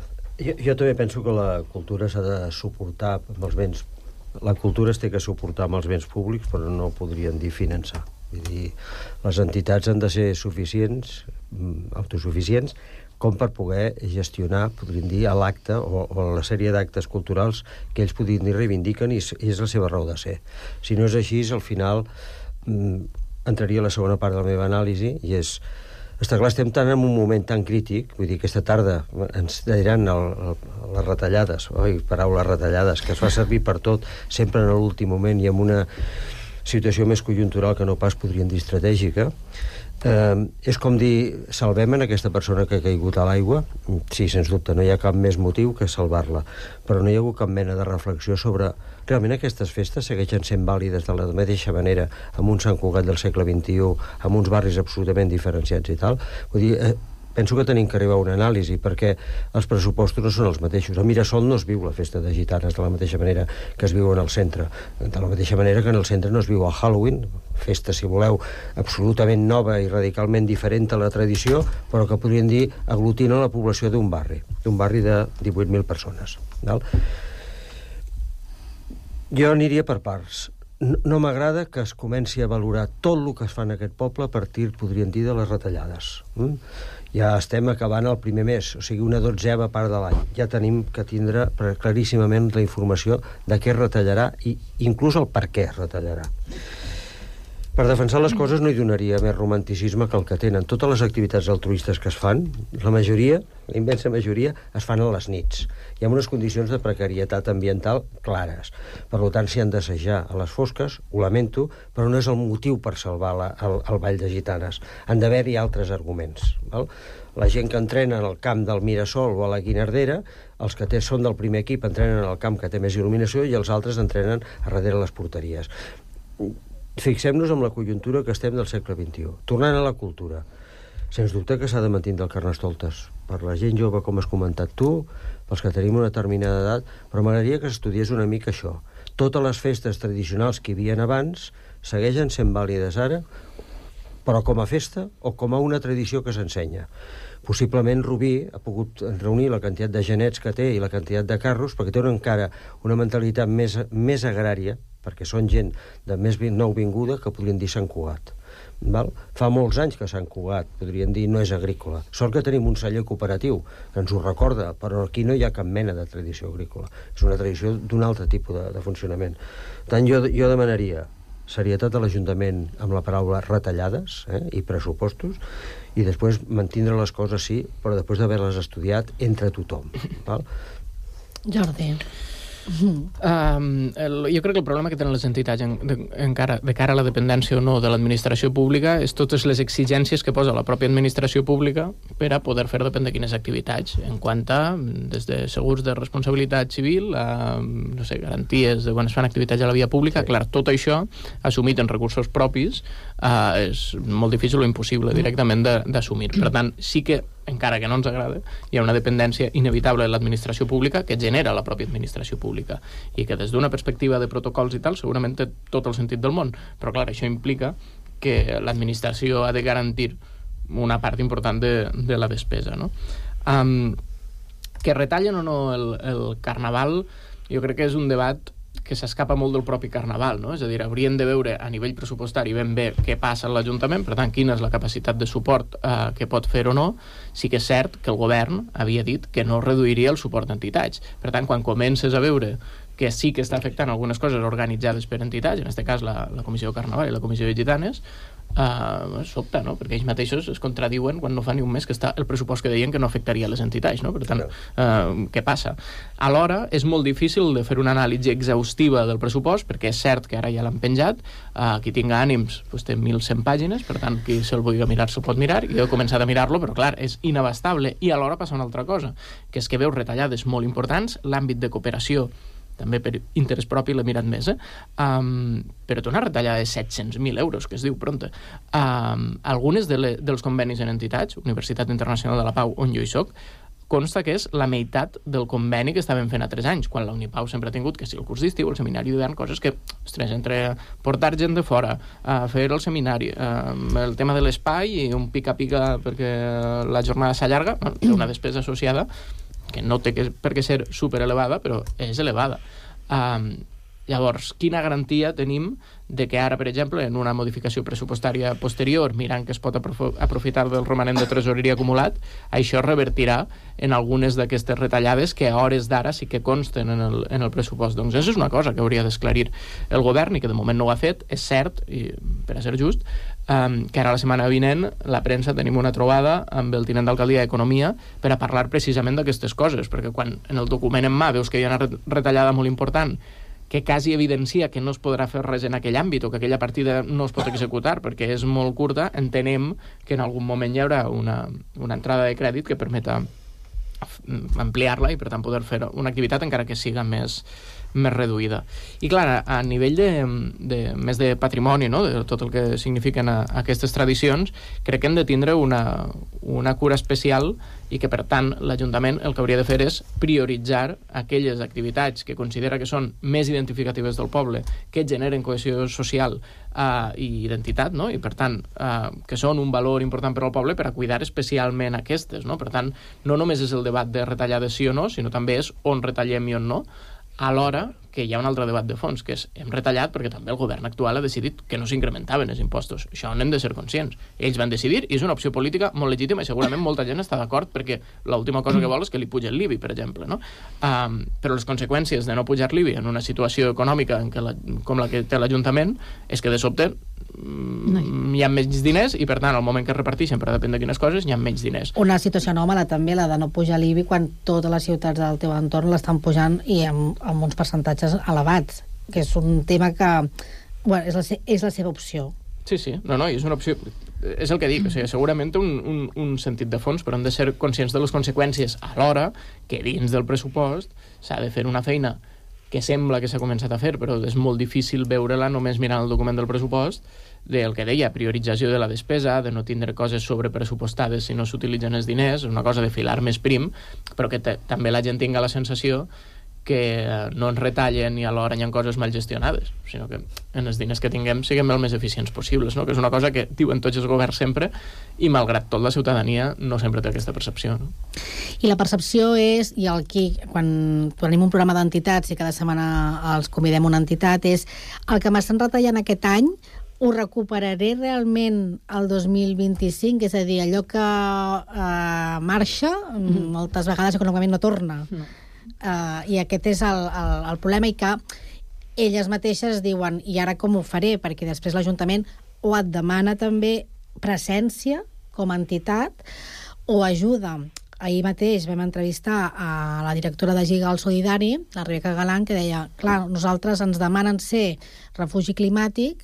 jo, jo també penso que la cultura s'ha de suportar amb els béns. La cultura es té que suportar amb els béns públics, però no podrien dir finançar. Vull dir, les entitats han de ser suficients, autosuficients, com per poder gestionar, podríem dir, a l'acte o, o la sèrie d'actes culturals que ells podrien dir reivindiquen, i és, és la seva raó de ser. Si no és així, al final mm, entraria a la segona part de la meva anàlisi, i és, està clar, estem tan en un moment tan crític, vull dir, aquesta tarda ens diran el, el, les retallades, oi, paraules retallades, que es fa servir per tot, sempre en l'últim moment i en una situació més conjuntural que no pas podríem dir estratègica. Eh, és com dir, salvem en aquesta persona que ha caigut a l'aigua. Sí, sens dubte, no hi ha cap més motiu que salvar-la, però no hi ha hagut cap mena de reflexió sobre realment aquestes festes segueixen sent vàlides de la mateixa manera amb un Sant Cugat del segle vint-i-u, amb uns barris absolutament diferenciats i tal. Vull dir, eh, penso que tenim que arribar a una anàlisi, perquè els pressupostos no són els mateixos. A Mirasol no es viu la festa de gitanes de la mateixa manera que es viu en el centre. De la mateixa manera que en el centre no es viu el Halloween, festa, si voleu, absolutament nova i radicalment diferent a la tradició, però que podríem dir aglutina la població d'un barri, d'un barri de divuit mil persones. Val? Jo aniria per parts. No, no m'agrada que es comenci a valorar tot el que es fa en aquest poble a partir, podríem dir, de les retallades. Mm? Ja estem acabant el primer mes, o sigui, una dotzeva part de l'any. Ja tenim que tindre claríssimament la informació de què es retallarà i inclús el per què es retallarà. Per defensar les coses no hi donaria més romanticisme que el que tenen. Totes les activitats altruistes que es fan, la majoria, la immensa majoria, es fan a les nits. Hi ha unes condicions de precarietat ambiental clares. Per tant, s'hi han d'assajar a les fosques, ho lamento, però no és el motiu per salvar la, el, el Ball de Gitanes. Han d'haver-hi altres arguments. Val? La gent que entrena en el camp del Mirasol o a la Guinardera, els que té, són del primer equip entrenen en el camp que té més il·luminació i els altres entrenen a darrere les porteries. Fixem-nos en la conjuntura que estem del segle vint-i-u. Tornant a la cultura, sens dubte que s'ha de mantenir el Carnestoltes. Per la gent jove, com has comentat tu, pels que tenim una determinada edat, però m'agradaria que s'estudiés una mica això. Totes les festes tradicionals que hi havia abans segueixen sent vàlides ara, però com a festa o com a una tradició que s'ensenya. Possiblement Rubí ha pogut reunir la quantitat de genets que té i la quantitat de carros perquè té encara una mentalitat més, més agrària, perquè són gent de més nou vinguda que podrien dir Sant Cugat. Val? Fa molts anys que Sant Cugat, podríem dir, no és agrícola. Sort que tenim un celler cooperatiu que ens ho recorda, però aquí no hi ha cap mena de tradició agrícola. És una tradició d'un altre tipus de, de funcionament. Per tant, jo, jo demanaria serietat a l'Ajuntament amb la paraula retallades eh, i pressupostos, i després mantindre les coses sí, però després d'haver-les estudiat entre tothom. Val? Jordi. Um, el, jo crec que el problema que tenen les entitats en, de, encara, de cara a la dependència o no de l'administració pública és totes les exigències que posa la pròpia administració pública per a poder fer depèn de quines activitats, en quant a des de segurs de responsabilitat civil a no sé, garanties de quan es fan activitats a la via pública. Sí. Clar, tot això assumit en recursos propis uh, és molt difícil o impossible directament d'assumir. Per tant, sí que encara que no ens agrada, hi ha una dependència inevitable de l'administració pública que genera la pròpia administració pública i que des d'una perspectiva de protocols i tal segurament té tot el sentit del món, però clar, això implica que l'administració ha de garantir una part important de, de la despesa, no? Um, que retallen o no el, el carnaval, jo crec que és un debat que s'escapa molt del propi carnaval, no? És a dir, hauríem de veure a nivell pressupostari ben bé què passa a l'Ajuntament, per tant, quina és la capacitat de suport eh, que pot fer o no. Sí que és cert que el govern havia dit que no reduiria el suport d'entitats. Per tant, quan comences a veure que sí que està afectant algunes coses organitzades per entitats, en aquest cas la, la Comissió de Carnaval i la Comissió de Gitanes, Uh, sobta, no? Perquè ells mateixos es contradiuen quan no fa ni un mes que està el pressupost que deien que no afectaria les entitats, no? Per tant, uh, què passa? Alhora, és molt difícil de fer una anàlisi exhaustiva del pressupost, perquè és cert que ara ja l'han penjat, uh, qui tinga ànims pues, té mil cent pàgines, per tant, qui se'l vulgui mirar se'l pot mirar, i jo he començat a mirar-lo, però clar, és inabastable, i alhora passa una altra cosa, que és que veus retallades molt importants, l'àmbit de cooperació també per interès propi l'he mirat més, eh? Um, però té una retallada de set-cents mil euros, que es diu pronta. Um, algunes de le, dels convenis en entitats, Universitat Internacional de la Pau, on jo hi soc, consta que és la meitat del conveni que estàvem fent a tres anys, quan la Unipau sempre ha tingut que si el curs d'estiu, el seminari d'hivern, coses que, ostres, entre portar gent de fora, a fer el seminari, uh, el tema de l'espai i un pica-pica perquè la jornada s'allarga, bueno, té una despesa associada que no té que, per què ser superelevada, però és elevada. Um, llavors, quina garantia tenim de que ara, per exemple, en una modificació pressupostària posterior, mirant que es pot aprofitar del romanent de tresoreria acumulat, això revertirà en algunes d'aquestes retallades que a hores d'ara sí que consten en el, en el pressupost. Doncs això és una cosa que hauria d'esclarir el govern i que de moment no ho ha fet. És cert, i per a ser just, um, que ara la setmana vinent la premsa tenim una trobada amb el tinent d'alcaldia d'Economia per a parlar precisament d'aquestes coses, perquè quan en el document en mà veus que hi ha una retallada molt important que quasi evidencia que no es podrà fer res en aquell àmbit o que aquella partida no es pot executar perquè és molt curta, entenem que en algun moment hi haurà una, una entrada de crèdit que permeta ampliar-la i per tant poder fer una activitat encara que siga més, més reduïda. I clar, a nivell de, de més de patrimoni, no? De tot el que signifiquen a, a aquestes tradicions, crec que hem de tindre una, una cura especial i que per tant l'Ajuntament el que hauria de fer és prioritzar aquelles activitats que considera que són més identificatives del poble, que generen cohesió social uh, i identitat, no? I per tant uh, que són un valor important per al poble, per a cuidar especialment aquestes, no? Per tant, no només és el debat de retallades sí o no, sinó també és on retallem i on no, alhora que hi ha un altre debat de fons, que és hem retallat perquè també el govern actual ha decidit que no s'incrementaven els impostos. Això n'hem de ser conscients. Ells van decidir i és una opció política molt legítima i segurament molta gent està d'acord perquè l'última cosa que vol és que li puja el l'I B I, per exemple, no? Um, però les conseqüències de no pujar l'I B I en una situació econòmica en què la, com la que té l'Ajuntament és que de sobte no hi. hi ha menys diners i per tant al moment que es reparteixen per depèn de quines coses hi ha menys diners. Una situació anòmala també la de no pujar l'I B I quan totes les ciutats del teu entorn l'estan pujant i amb, amb uns percentatges elevats, que és un tema que bueno, és, la, és la seva opció. Sí, sí, no, no, és una opció, és el que dic, o sigui, segurament té un, un, un sentit de fons, però hem de ser conscients de les conseqüències alhora que dins del pressupost s'ha de fer una feina que sembla que s'ha començat a fer, però és molt difícil veure-la només mirant el document del pressupost, del que deia, priorització de la despesa, de no tindre coses sobrepressupostades si no s'utilitzen els diners, una cosa de filar més prim, però que també la gent tinga la sensació que no ens retallen i alhora hi ha coses mal gestionades, sinó que en els diners que tinguem siguem el més eficients possibles, no? Que és una cosa que diuen tots els governs sempre i malgrat tot la ciutadania no sempre té aquesta percepció, no? I la percepció és, i aquí, quan tenim un programa d'entitats i cada setmana els convidem una entitat, és el que m'estan retallant aquest any ho recuperaré realment el dos mil vint-i-cinc, és a dir, allò que uh, marxa, mm. moltes vegades econòmicament no torna. No. Uh, I aquest és el, el, el problema, i que elles mateixes diuen, i ara com ho faré? Perquè després l'Ajuntament o et demana també presència com a entitat o ajuda. Ahir mateix vam entrevistar a la directora de Gigal Solidari, la Rebeca Galán, que deia, clar, nosaltres ens demanen ser refugi climàtic,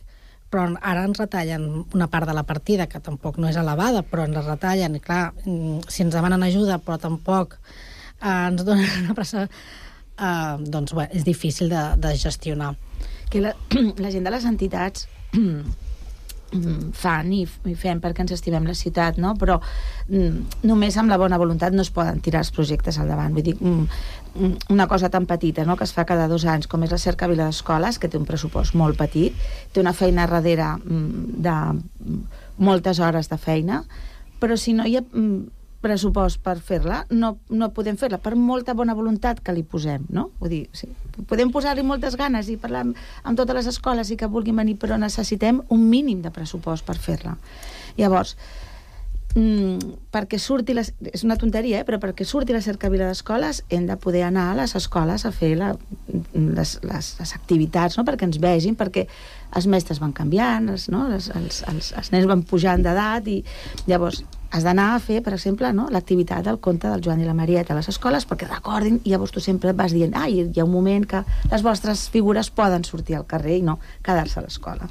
però ara ens retallen una part de la partida, que tampoc no és elevada, però ens retallen. I clar, si ens demanen ajuda, però tampoc eh, ens donen una pressa, eh, doncs bé, és difícil de, de gestionar. Que la, la gent de les entitats fan i, i fem perquè ens estimem la ciutat, no? Però mm, només amb la bona voluntat no es poden tirar els projectes al davant. Vull dir, mm, una cosa tan petita, no?, que es fa cada dos anys, com és la Cercavila d'Escoles, que té un pressupost molt petit, té una feina darrere mm, de moltes hores de feina, però si no hi ha mm, pressupost per fer-la, no, no podem fer-la, per molta bona voluntat que li posem, no? Vull dir, sí, podem posar-li moltes ganes i parlar amb, amb totes les escoles i que vulguin venir, però necessitem un mínim de pressupost per fer-la. Llavors, mm, perquè surti la, és una tonteria, eh? Però perquè surti la Cercavila d'Escoles hem de poder anar a les escoles a fer la, les, les, les activitats, no?, perquè ens vegin, perquè els mestres van canviant, els, no? els, els, els, els nens van pujant d'edat, i llavors has d'anar a fer, per exemple, no?, l'activitat del conte del Joan i la Marieta a les escoles perquè recordin, i llavors tu sempre vas dient, ah, hi ha un moment que les vostres figures poden sortir al carrer i no quedar-se a l'escola.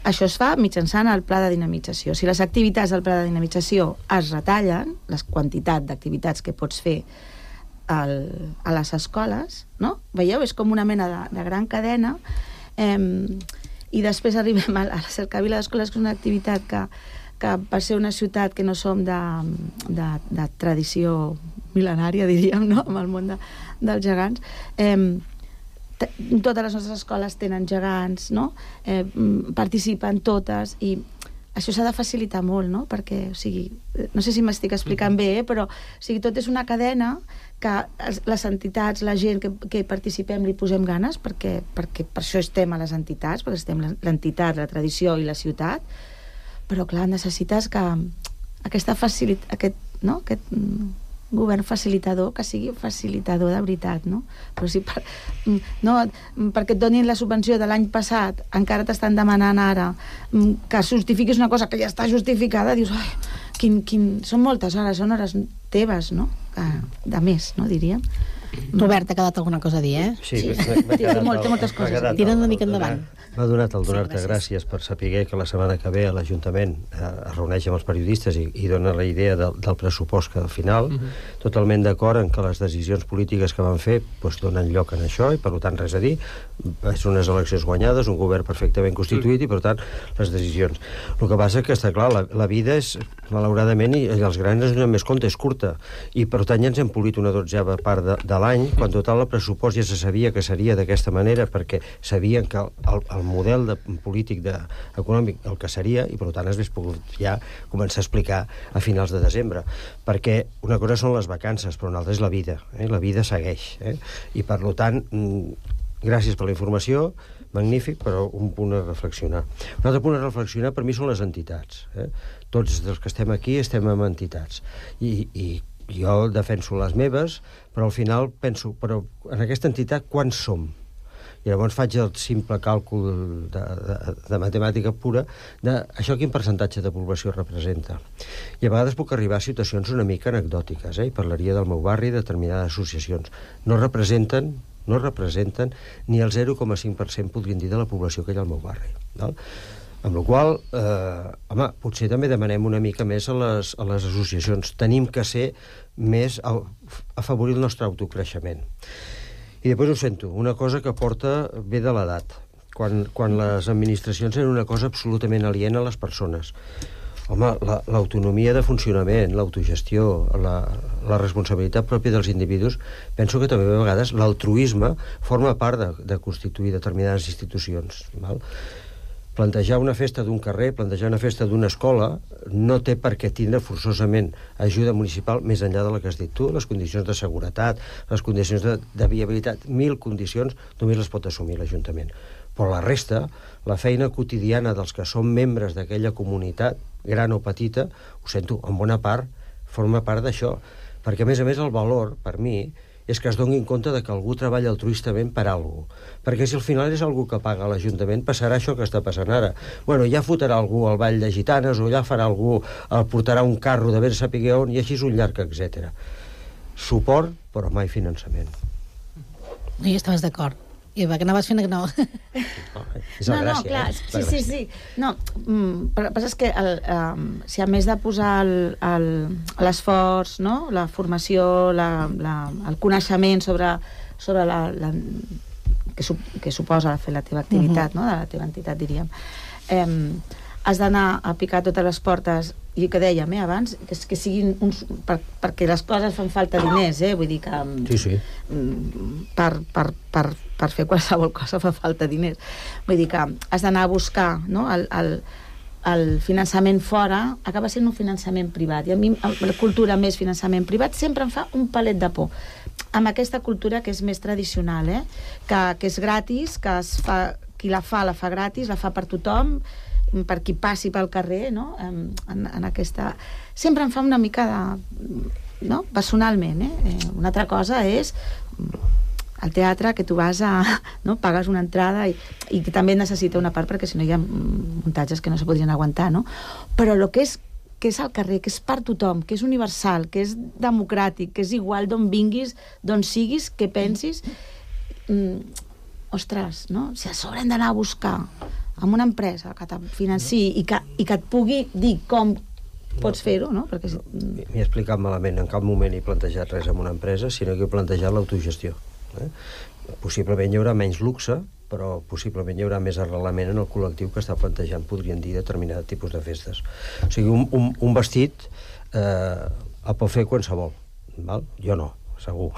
Això es fa mitjançant el pla de dinamització. Si les activitats del pla de dinamització es retallen, la quantitat d'activitats que pots fer al, a les escoles, no? Veieu? És com una mena de, de gran cadena, eh, i després arribem a la Cercavila d'Escoles, que és una activitat que que per ser una ciutat que no som de, de, de tradició mil·lenària, diríem, no?, amb el món de, dels gegants, eh, totes les nostres escoles tenen gegants, no?, eh, participen totes, i això s'ha de facilitar molt, no?, perquè, o sigui, no sé si m'estic explicant bé, eh, però, o sigui, tot és una cadena que les entitats, la gent que, que participem li posem ganes, perquè, perquè per això estem a les entitats, perquè estem l'entitat, la tradició i la ciutat, però clar, necessites que aquesta facilitat, aquest, no? aquest govern facilitador, que sigui facilitador de veritat, no? Però si per, no, perquè et donin la subvenció de l'any passat, encara t'estan demanant ara que justifiquis una cosa que ja està justificada, dius, ai, quin, quin... són moltes hores, són hores teves, no? De més, no, diríem. Robert, t'ha quedat alguna cosa a dir, eh? Sí, sí. Té moltes coses a dir. Tira una mica endavant. M'ha donat el donar-te sí, gràcies per saber que la setmana que ve l'Ajuntament eh, es reuneix amb els periodistes i, i dona la idea del, del pressupost que al final, uh-huh. totalment d'acord en que les decisions polítiques que van fer doncs, donen lloc en això, i per tant res a dir, és unes eleccions guanyades, un govern perfectament constituït, uh-huh. i per tant les decisions. El que passa que està clar, la, la vida és, malauradament, i, i els grans ens donen més compte, és curta, i per tant ja ens hem polit una dotzena part de, de l'any, quan total el pressupost ja se sabia que seria d'aquesta manera, perquè sabien que el, el, el model de, polític de, econòmic el que seria, i per tant es hauria pogut ja començar a explicar a finals de desembre, perquè una cosa són les vacances, però una altra és la vida, eh? La vida segueix, eh? I per tant, gràcies per la informació, magnífic, però un punt a reflexionar. Un altre punt a reflexionar per mi són les entitats, eh? Tots els que estem aquí estem amb entitats, i, i jo defenso les meves, però al final penso, però en aquesta entitat quants som? I llavors faig el simple càlcul de, de, de matemàtica pura de això quin percentatge de població representa. I a vegades puc arribar a situacions una mica anecdòtiques, eh? I parlaria del meu barri, de determinades associacions. No representen, no representen ni el zero coma cinc per cent, podríem dir, de la població que hi ha al meu barri. Val? Amb la qual cosa, eh, home, potser també demanem una mica més a les, a les associacions. Tenim que ser més a, a afavorir el nostre autocreixement. I després ho sento, una cosa que porta ve de l'edat, quan, quan les administracions eren una cosa absolutament aliena a les persones. Home, l'autonomia de funcionament, l'autogestió, la, la responsabilitat pròpia dels individus, penso que també a vegades l'altruisme forma part de, de constituir determinades institucions, val? Plantejar una festa d'un carrer, plantejar una festa d'una escola, no té per què tindre forçosament ajuda municipal més enllà de la que has dit tu, les condicions de seguretat, les condicions de, de viabilitat, mil condicions només les pot assumir l'Ajuntament. Però la resta, la feina quotidiana dels que són membres d'aquella comunitat, gran o petita, ho sento, en bona part, forma part d'això. Perquè, a més a més, el valor, per mi, és que es doni en compte de que algú treballa altruistament per alguna cosa. Perquè si al final és algú que paga l'Ajuntament, passarà això que està passant ara. Bueno, ja fotrà algú al ball de gitanes, o ja farà algú, el portarà un carro de ben saber on, i així és un llarg, etcètera. Suport, però mai finançament. No hi estaves d'acord. I va, que anaves fent que no. És la no, gràcia, no, clar, eh? sí, sí, sí. No, mm, però el que passa és que el, um, si a més de posar l'esforç, no? La formació, la, la, el coneixement sobre, sobre la, la, que, su, que suposa fer la teva activitat, uh-huh. no? De la teva entitat, diríem, eh, has d'anar a picar totes les portes, i que dèiem eh, abans, que, que siguin uns... Per, perquè les coses fan falta diners, eh? Vull dir que... Sí, sí. Per, per, per, per fer qualsevol cosa fa falta diners. Vull dir que has d'anar a buscar, no? el, el, el finançament fora acaba sent un finançament privat. I a mi la cultura més finançament privat sempre em fa un palet de por. Amb aquesta cultura que és més tradicional, eh? que, que és gratis, que es fa, qui la fa, la fa gratis, la fa per tothom, per qui passi pel carrer, no? En, en aquesta... Sempre em fa una mica de... no? Personalment, eh? Una altra cosa és el teatre, que tu vas a... no? Pagues una entrada i, i que també necessita una part, perquè si no hi ha muntatges que no se podrien aguantar, no? Però el que és que és al carrer, que és per tothom, que és universal, que és democràtic, que és igual d'on vinguis, d'on siguis, que pensis... Mm, ostres, no? Si a sobre hem d'anar a buscar amb una empresa que te financi i que, i que et pugui dir com pots fer-ho, no? Perquè... M'he explicat malament, en cap moment he plantejat res amb una empresa, sinó que he plantejat l'autogestió. Eh? Possiblement hi haurà menys luxe, però possiblement hi haurà més arrelament en el col·lectiu que està plantejant, podrien dir, determinat tipus de festes. O sigui, un, un, un vestit eh, el pot fer qualsevol, val? Jo no, segur.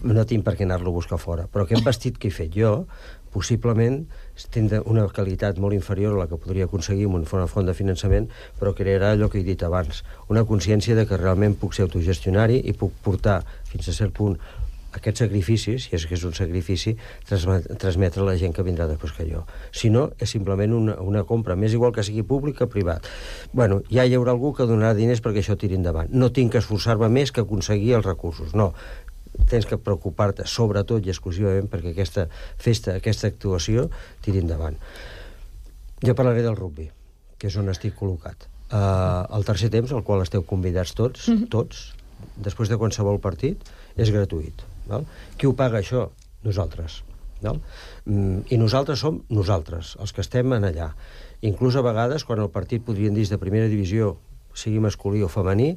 No tinc per què anar-lo a buscar fora. Però aquest vestit que he fet jo, possiblement tindrà una qualitat molt inferior a la que podria aconseguir amb una font de finançament, però crearà allò que he dit abans, una consciència de que realment puc ser autogestionari i puc portar fins a cert punt aquests sacrificis, si és que és un sacrifici, transmetre a la gent que vindrà després que jo. Si no, és simplement una, una compra, més igual que sigui públic que privat. Bueno, ja hi haurà algú que donarà diners perquè això tiri endavant. No tinc que esforçar-me més que aconseguir els recursos, no. Tens que preocupar-te sobretot i exclusivament perquè aquesta festa, aquesta actuació tiri endavant. Jo parlaré del rugbi, que és on estic col·locat. Uh, el tercer temps, al qual esteu convidats tots, tots, després de qualsevol partit, és gratuït. Val? Qui ho paga, això? Nosaltres. Val? Mm, I nosaltres som nosaltres, els que estem en allà. Inclús a vegades, quan el partit podrien dir de primera divisió, sigui masculí o femení,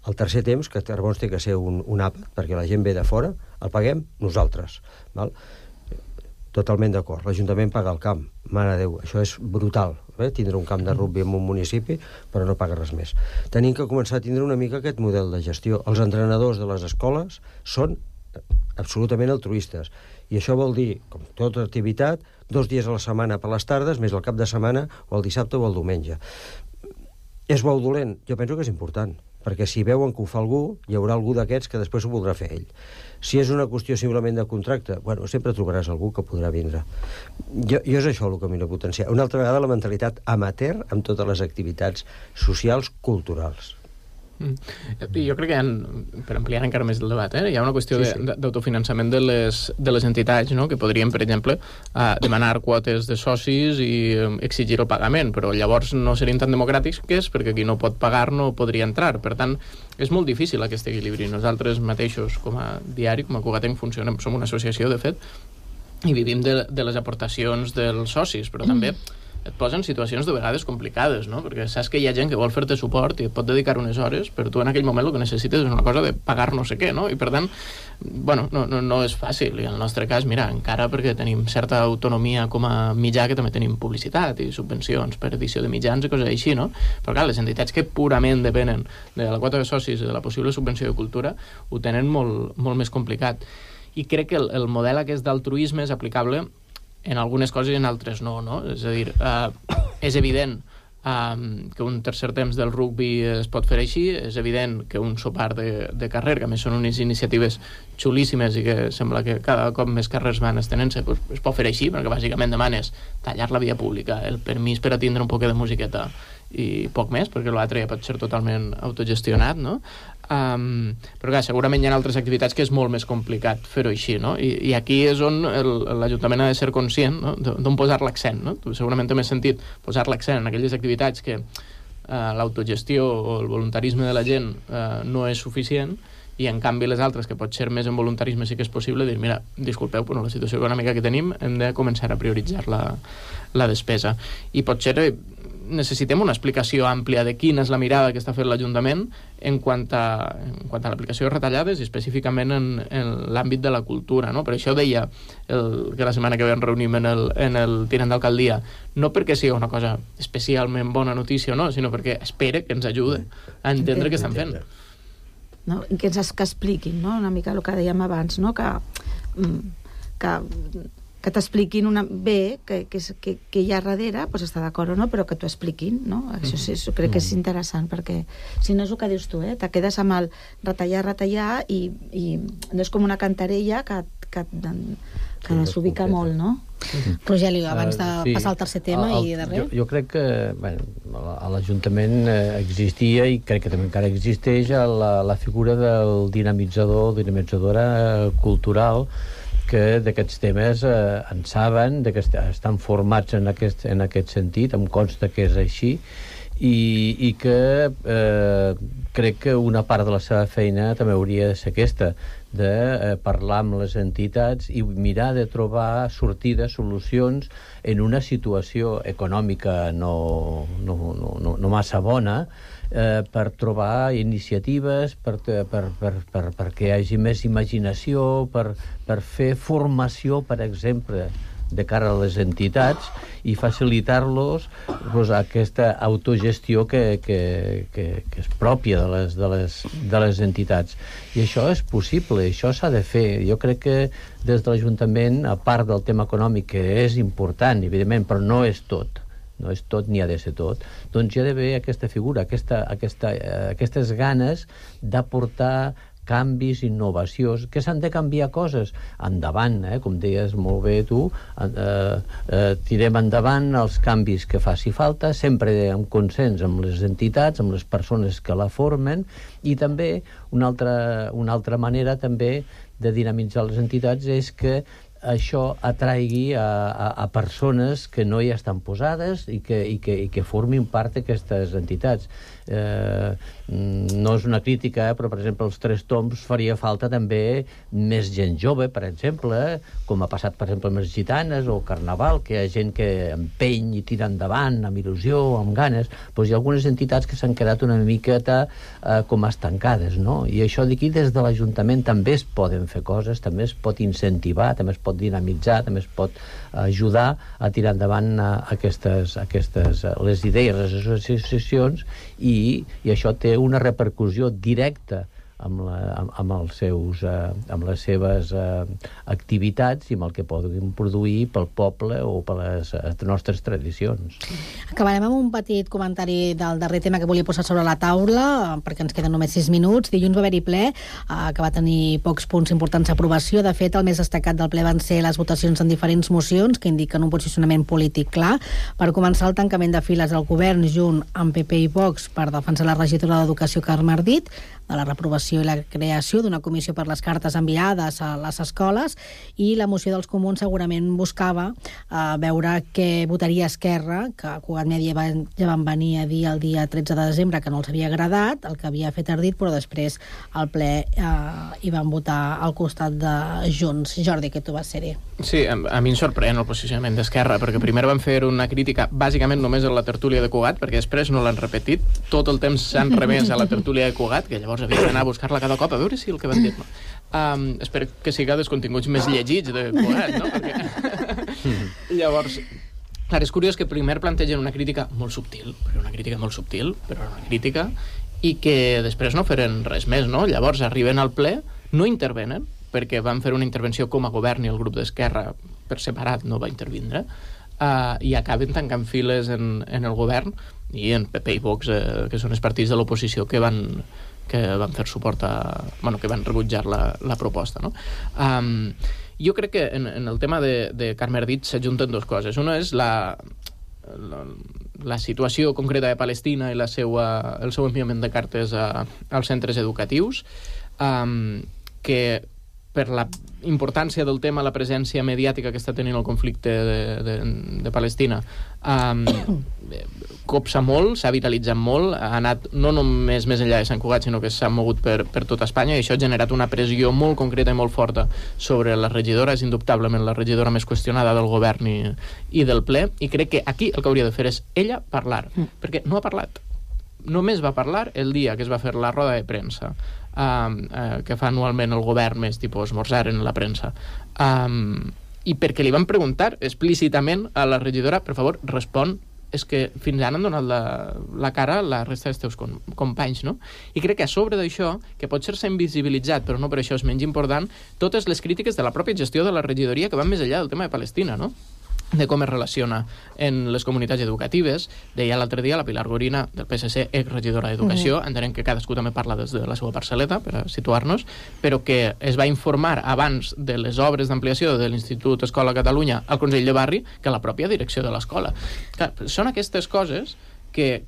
el tercer temps, que llavors té que ser un, un àpat, perquè la gent ve de fora, el paguem nosaltres. Val? Totalment d'acord. L'Ajuntament paga el camp. Mare de Déu, això és brutal, eh? Tindre un camp de rugbi en un municipi, però no paga res més. Tenim que començar a tindre una mica aquest model de gestió. Els entrenadors de les escoles són absolutament altruistes. I això vol dir, com tota activitat, dos dies a la setmana per les tardes, més el cap de setmana, o el dissabte o el diumenge. És bo o dolent? Jo penso que és important, perquè si veuen que ho fa algú, hi haurà algú d'aquests que després ho voldrà fer ell. Si és una qüestió simplement de contracte, bueno, sempre trobaràs algú que podrà vindre. Jo, jo és això el que a mi no potenciar. Una altra vegada la mentalitat amateur amb totes les activitats socials, culturals. Mm. Jo crec que hi ha, per ampliar encara més el debat, eh? Hi ha una qüestió sí, sí. d'autofinançament de les, de les entitats, no? Que podrien, per exemple, uh, demanar quotes de socis i um, exigir el pagament, però llavors no serien tan democràtics que és perquè qui no pot pagar no podria entrar. Per tant, és molt difícil aquest equilibri. Nosaltres mateixos, com a diari, com a Cugatenc, funcionem, som una associació, de fet, i vivim de, de les aportacions dels socis, però també et posen situacions de vegades complicades, no? Perquè saps que hi ha gent que vol fer-te suport i et pot dedicar unes hores, però tu en aquell moment el que necessites és una cosa de pagar no sé què, no? I per tant, bueno, no, no, no és fàcil. I en el nostre cas, mira, encara perquè tenim certa autonomia com a mitjà, que també tenim publicitat i subvencions per edició de mitjans i coses així, no? Però clar, les entitats que purament depenen de la quota de socis i de la possible subvenció de cultura ho tenen molt, molt més complicat. I crec que el, el model aquest d'altruisme és aplicable en algunes coses i en altres no, no? És a dir, eh, és evident Um, que un tercer temps del rugbi es pot fer així, és evident que un sopar de, de carrer, que a més són unes iniciatives xulíssimes i que sembla que cada cop més carrers van estenent-se, pues, es pot fer així, perquè bàsicament demanes tallar la via pública, el permís per a tindre un poc de musiqueta i poc més, perquè l'altre ja pot ser totalment autogestionat, no? Um, però clar, segurament hi ha altres activitats que és molt més complicat fer-ho així, no? I, i aquí és on l'Ajuntament ha de ser conscient, no? D'on posar l'accent, no? Tu segurament té més sentit posar l'accent en aquelles activitats que uh, l'autogestió o el voluntarisme de la gent uh, no és suficient, i en canvi les altres, que pot ser més en voluntarisme sí que és possible, dir, mira, disculpeu, però la situació econòmica que tenim hem de començar a prioritzar la, la despesa. I potser necessitem una explicació àmplia de quina és la mirada que està fent l'Ajuntament en quant a, en quant a l'aplicació de retallades i específicament en, en l'àmbit de la cultura, no? Per això deia el, que la setmana que ve ens reunim en el, en el tinent d'alcaldia, no perquè sigui una cosa especialment bona notícia o no, sinó perquè espere que ens ajude a entendre què estan fent. No? Que ens que expliquin, no? Una mica el que dèiem abans, no? que, que, que t'expliquin una... bé que, que, que, que hi ha darrere, doncs està d'acord o no, però que t'ho expliquin, no? Això sí, crec que és interessant, perquè si no és el que dius tu, eh? Te quedes amb el retallar, retallar, i, i no és com una cantarella que, que, que s'ubica molt, no? Rogelio, abans de uh, sí. passar al tercer tema el, i darrer. Jo, jo crec que bueno, a l'Ajuntament existia i crec que també encara existeix la, la figura del dinamitzador, dinamitzadora cultural, que d'aquests temes eh, en saben, de que est estan formats en aquest, en aquest sentit, em consta que és així, i, i que eh, crec que una part de la seva feina també hauria de ser aquesta, de eh, parlar amb les entitats i mirar de trobar sortides, solucions en una situació econòmica no, no, no, no, no massa bona, eh, per trobar iniciatives, per, per, per, per, perquè hi hagi més imaginació, per, per fer formació, per exemple, de cara a les entitats i facilitar-los pues, aquesta autogestió que, que, que, que és pròpia de les, de, les, de les entitats. I això és possible, això s'ha de fer. Jo crec que des de l'Ajuntament, a part del tema econòmic, que és important, evidentment, però no és tot, no és tot ni ha de ser tot, doncs hi ha d'haver aquesta figura, aquesta, aquesta, eh, aquestes ganes d'aportar canvis, innovacions, que s'han de canviar coses endavant, eh? Com deies molt bé tu, eh, eh, tirem endavant els canvis que faci falta, sempre en consens amb les entitats, amb les persones que la formen, i també una altra, una altra manera també de dinamitzar les entitats és que això atraigui a, a, a persones que no hi estan posades i que, i que, i que formin part d'aquestes entitats. Eh, no és una crítica, eh, però per exemple els Tres Tombs faria falta també més gent jove, per exemple, com ha passat per exemple amb les gitanes o Carnaval, que hi ha gent que empeny i tira endavant amb il·lusió, amb ganes. Doncs hi ha algunes entitats que s'han quedat una miqueta eh, com estancades, no? I això d'aquí des de l'Ajuntament també es poden fer coses, també es pot incentivar, també es pot dinamitzar, també es pot ajudar a tirar endavant uh, aquestes, aquestes uh, les idees, les associacions, i, i això té una repercussió directa amb, la, amb, amb, els seus, uh, amb les seves uh, activitats i amb el que poden produir pel poble o per les uh, nostres tradicions. Acabarem amb un petit comentari del darrer tema que volia posar sobre la taula, perquè ens queden només sis minuts. Dilluns va haver-hi ple, uh, que va tenir pocs punts importants d'aprovació. De fet, el més destacat del ple van ser les votacions en diferents mocions que indiquen un posicionament polític clar. Per començar, el tancament de files del govern junt amb P P i Vox per defensar la regidora d'Educació, Carme Ardit, de la reprovació i la creació d'una comissió per les cartes enviades a les escoles, i la moció dels comuns segurament buscava eh, veure què votaria Esquerra, que Cugat Mèdia va, ja van venir a dir el dia tretze de desembre que no els havia agradat el que havia fet Ardit, però després al ple eh, hi van votar al costat de Junts. Jordi, que tu vas ser-hi. Sí, a, a mi em sorprèn el posicionament d'Esquerra, perquè primer van fer una crítica bàsicament només a la tertúlia de Cugat, perquè després no l'han repetit, tot el temps s'han remès a la tertúlia de Cugat, que llavors havia d'anar a buscar-la cada cop a veure si el que van dir no. Um, espero que siga dels continguts més llegits de Cugat, no? Perquè... llavors, clar, és curiós que primer plantegen una crítica molt subtil, però una crítica molt subtil, però una crítica, i que després no feren res més, no? Llavors arriben al ple, no intervenen, perquè van fer una intervenció com a govern i el grup d'Esquerra per separat no va intervindre, uh, i acaben tancant files en, en el govern i en P P i Vox, eh, que són els partits de l'oposició que van, que van fer suport a... Bueno, que van rebutjar la, la proposta, no? Um, jo crec que en, en el tema de, de Carme Ardit s'ajunten dues coses. Una és la, la, la situació concreta de Palestina i la seua, el seu enviament de cartes a, als centres educatius, um, que per la importància del tema, la presència mediàtica que està tenint el conflicte de, de, de Palestina, um, copsa molt, s'ha viralitzat molt, ha anat no només més enllà de Sant Cugat, sinó que s'ha mogut per, per tota Espanya, i això ha generat una pressió molt concreta i molt forta sobre la regidora, és indubtablement la regidora més qüestionada del govern i, i del ple, i crec que aquí el que hauria de fer és ella parlar, mm. perquè no ha parlat. Només va parlar el dia que es va fer la roda de premsa, um, uh, que fa anualment el govern, més tipus esmorzar en la premsa, um, i perquè li van preguntar explícitament a la regidora, per favor, respon, és que fins ara han donat la, la cara a la resta dels teus com, companys, no? I crec que a sobre d'això, que pot ser-se invisibilitzat, però no per això és menys important, totes les crítiques de la pròpia gestió de la regidoria que van més enllà del tema de Palestina, no? De com es relaciona en les comunitats educatives. Deia l'altre dia la Pilar Gorina, del P S C, exregidora d'Educació, mm-hmm. entenem que cadascú també parla des de la seva parcel·leta, per a situar-nos, però que es va informar abans de les obres d'ampliació de l'Institut Escola Catalunya al Consell de Barri que la pròpia direcció de l'escola. Clar, són aquestes coses que,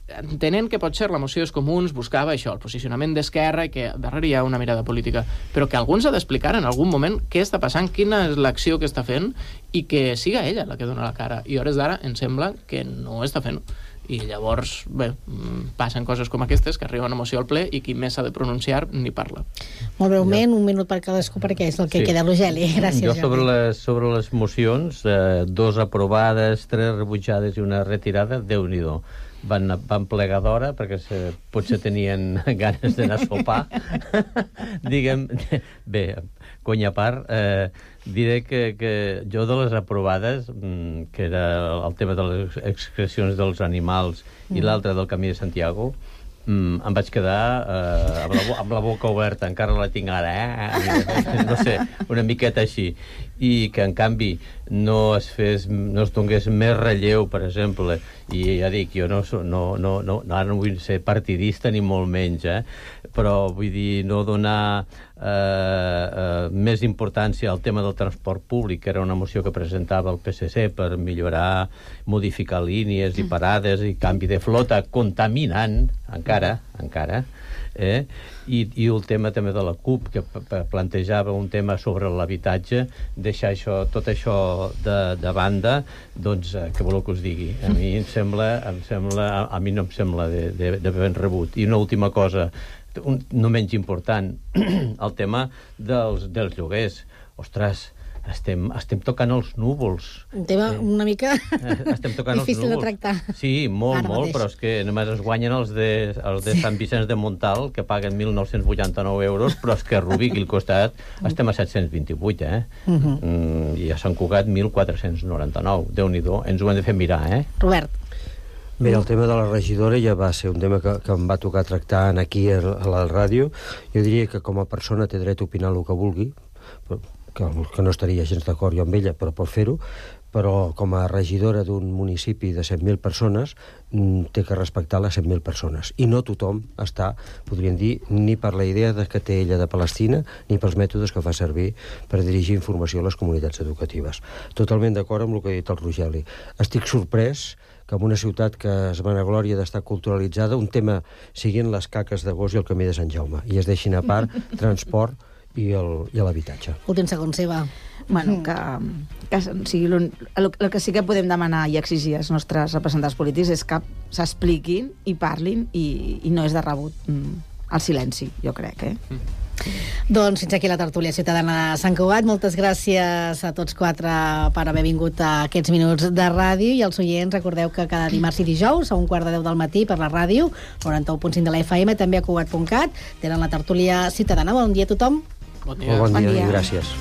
entenent que potser la moció dels comuns buscava això, el posicionament d'esquerra i que darrere hi ha una mirada política, però que algú ens ha d'explicar en algun moment què està passant, quina és l'acció que està fent i que siga ella la que dona la cara. I a hores d'ara em sembla que no està fent. I llavors, bé, passen coses com aquestes, que arriba una moció al ple i qui més s'ha de pronunciar ni parla. Molt breument, un minut per cadascú, perquè és el que sí. queda l'Ogeli. Gràcies, jo sobre les, sobre les mocions, eh, dos aprovades, tres rebutjades i una retirada, Déu-n'hi-do. Van, van plegar d'hora perquè se, potser tenien ganes d'anar a sopar. Diguem, bé, conya a part, eh, diré que, que jo de les aprovades, que era el tema de les excrecions dels animals i mm. l'altre del Camí de Santiago, Mm, em vaig quedar eh, amb, la, amb la boca oberta, encara la tinc ara, eh? No sé, una miqueta així. I que, en canvi, no es fes, no es donés més relleu, per exemple, i ja dic, jo no, no, no, no, ara no vull ser partidista ni molt menys, eh? Però vull dir, no donar eh, eh, més importància al tema del transport públic, que era una moció que presentava el P S C per millorar, modificar línies i parades i canvi de flota contaminant, encara, encara, eh? I, i el tema també de la CUP, que plantejava un tema sobre l'habitatge, deixar això, tot això de, de banda, doncs, eh, què voleu que us digui? A mi em sembla, em sembla a, a mi no em sembla de, de, de ben rebut. I una última cosa, un, no menys important, el tema dels, dels lloguers. Ostres, estem, estem tocant els núvols. Un tema eh, una mica estem tocant difícil els de tractar. Sí, molt, Ara molt, mateix. però és que només es guanyen els de, els de sí. Sant Vicenç de Montal, que paguen mil nou-cents vuitanta-nou euros, però és que a Rubí, aquí al costat, estem a set-cents vint-i-vuit, eh? Uh-huh. mm, I a Sant Cugat, mil quatre-cents noranta-nou. Déu-n'hi-do, ens ho hem de fer mirar, eh? Robert. Bé, el tema de la regidora ja va ser un tema que, que em va tocar tractar aquí a, a la ràdio. Jo diria que com a persona té dret a opinar el que vulgui, però, que, que no estaria gens d'acord jo amb ella, però pot fer-ho, però com a regidora d'un municipi de cent mil persones té que respectar les cent mil persones. I no tothom està, podríem dir, ni per la idea de que té ella de Palestina, ni pels mètodes que fa servir per dirigir informació a les comunitats educatives. Totalment d'acord amb el que ha dit el Rogeli. Estic sorprès que en una ciutat que es vanaglòria d'estar culturalitzada, un tema siguin les caques de gos i el camí de Sant Jaume, i es deixin a part transport i l'habitatge. Últim segon, Seva. Bueno, que, que o sigui, el, el que sí que podem demanar i exigir als nostres representants polítics és que s'expliquin i parlin, i, i no és de rebut el silenci, jo crec, eh? Mm. Doncs fins aquí la tertúlia ciutadana de Sant Cugat. Moltes gràcies a tots quatre per haver vingut a aquests minuts de ràdio, i als oients recordeu que cada dimarts i dijous a un quart de deu del matí per la ràdio noranta-u punt cinc de la F M, també a Cugat punt cat, tenen la tertúlia ciutadana. Bon dia a tothom. Bon dia. Bon dia, bon dia. I gràcies.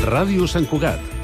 Ràdio Sant Cugat.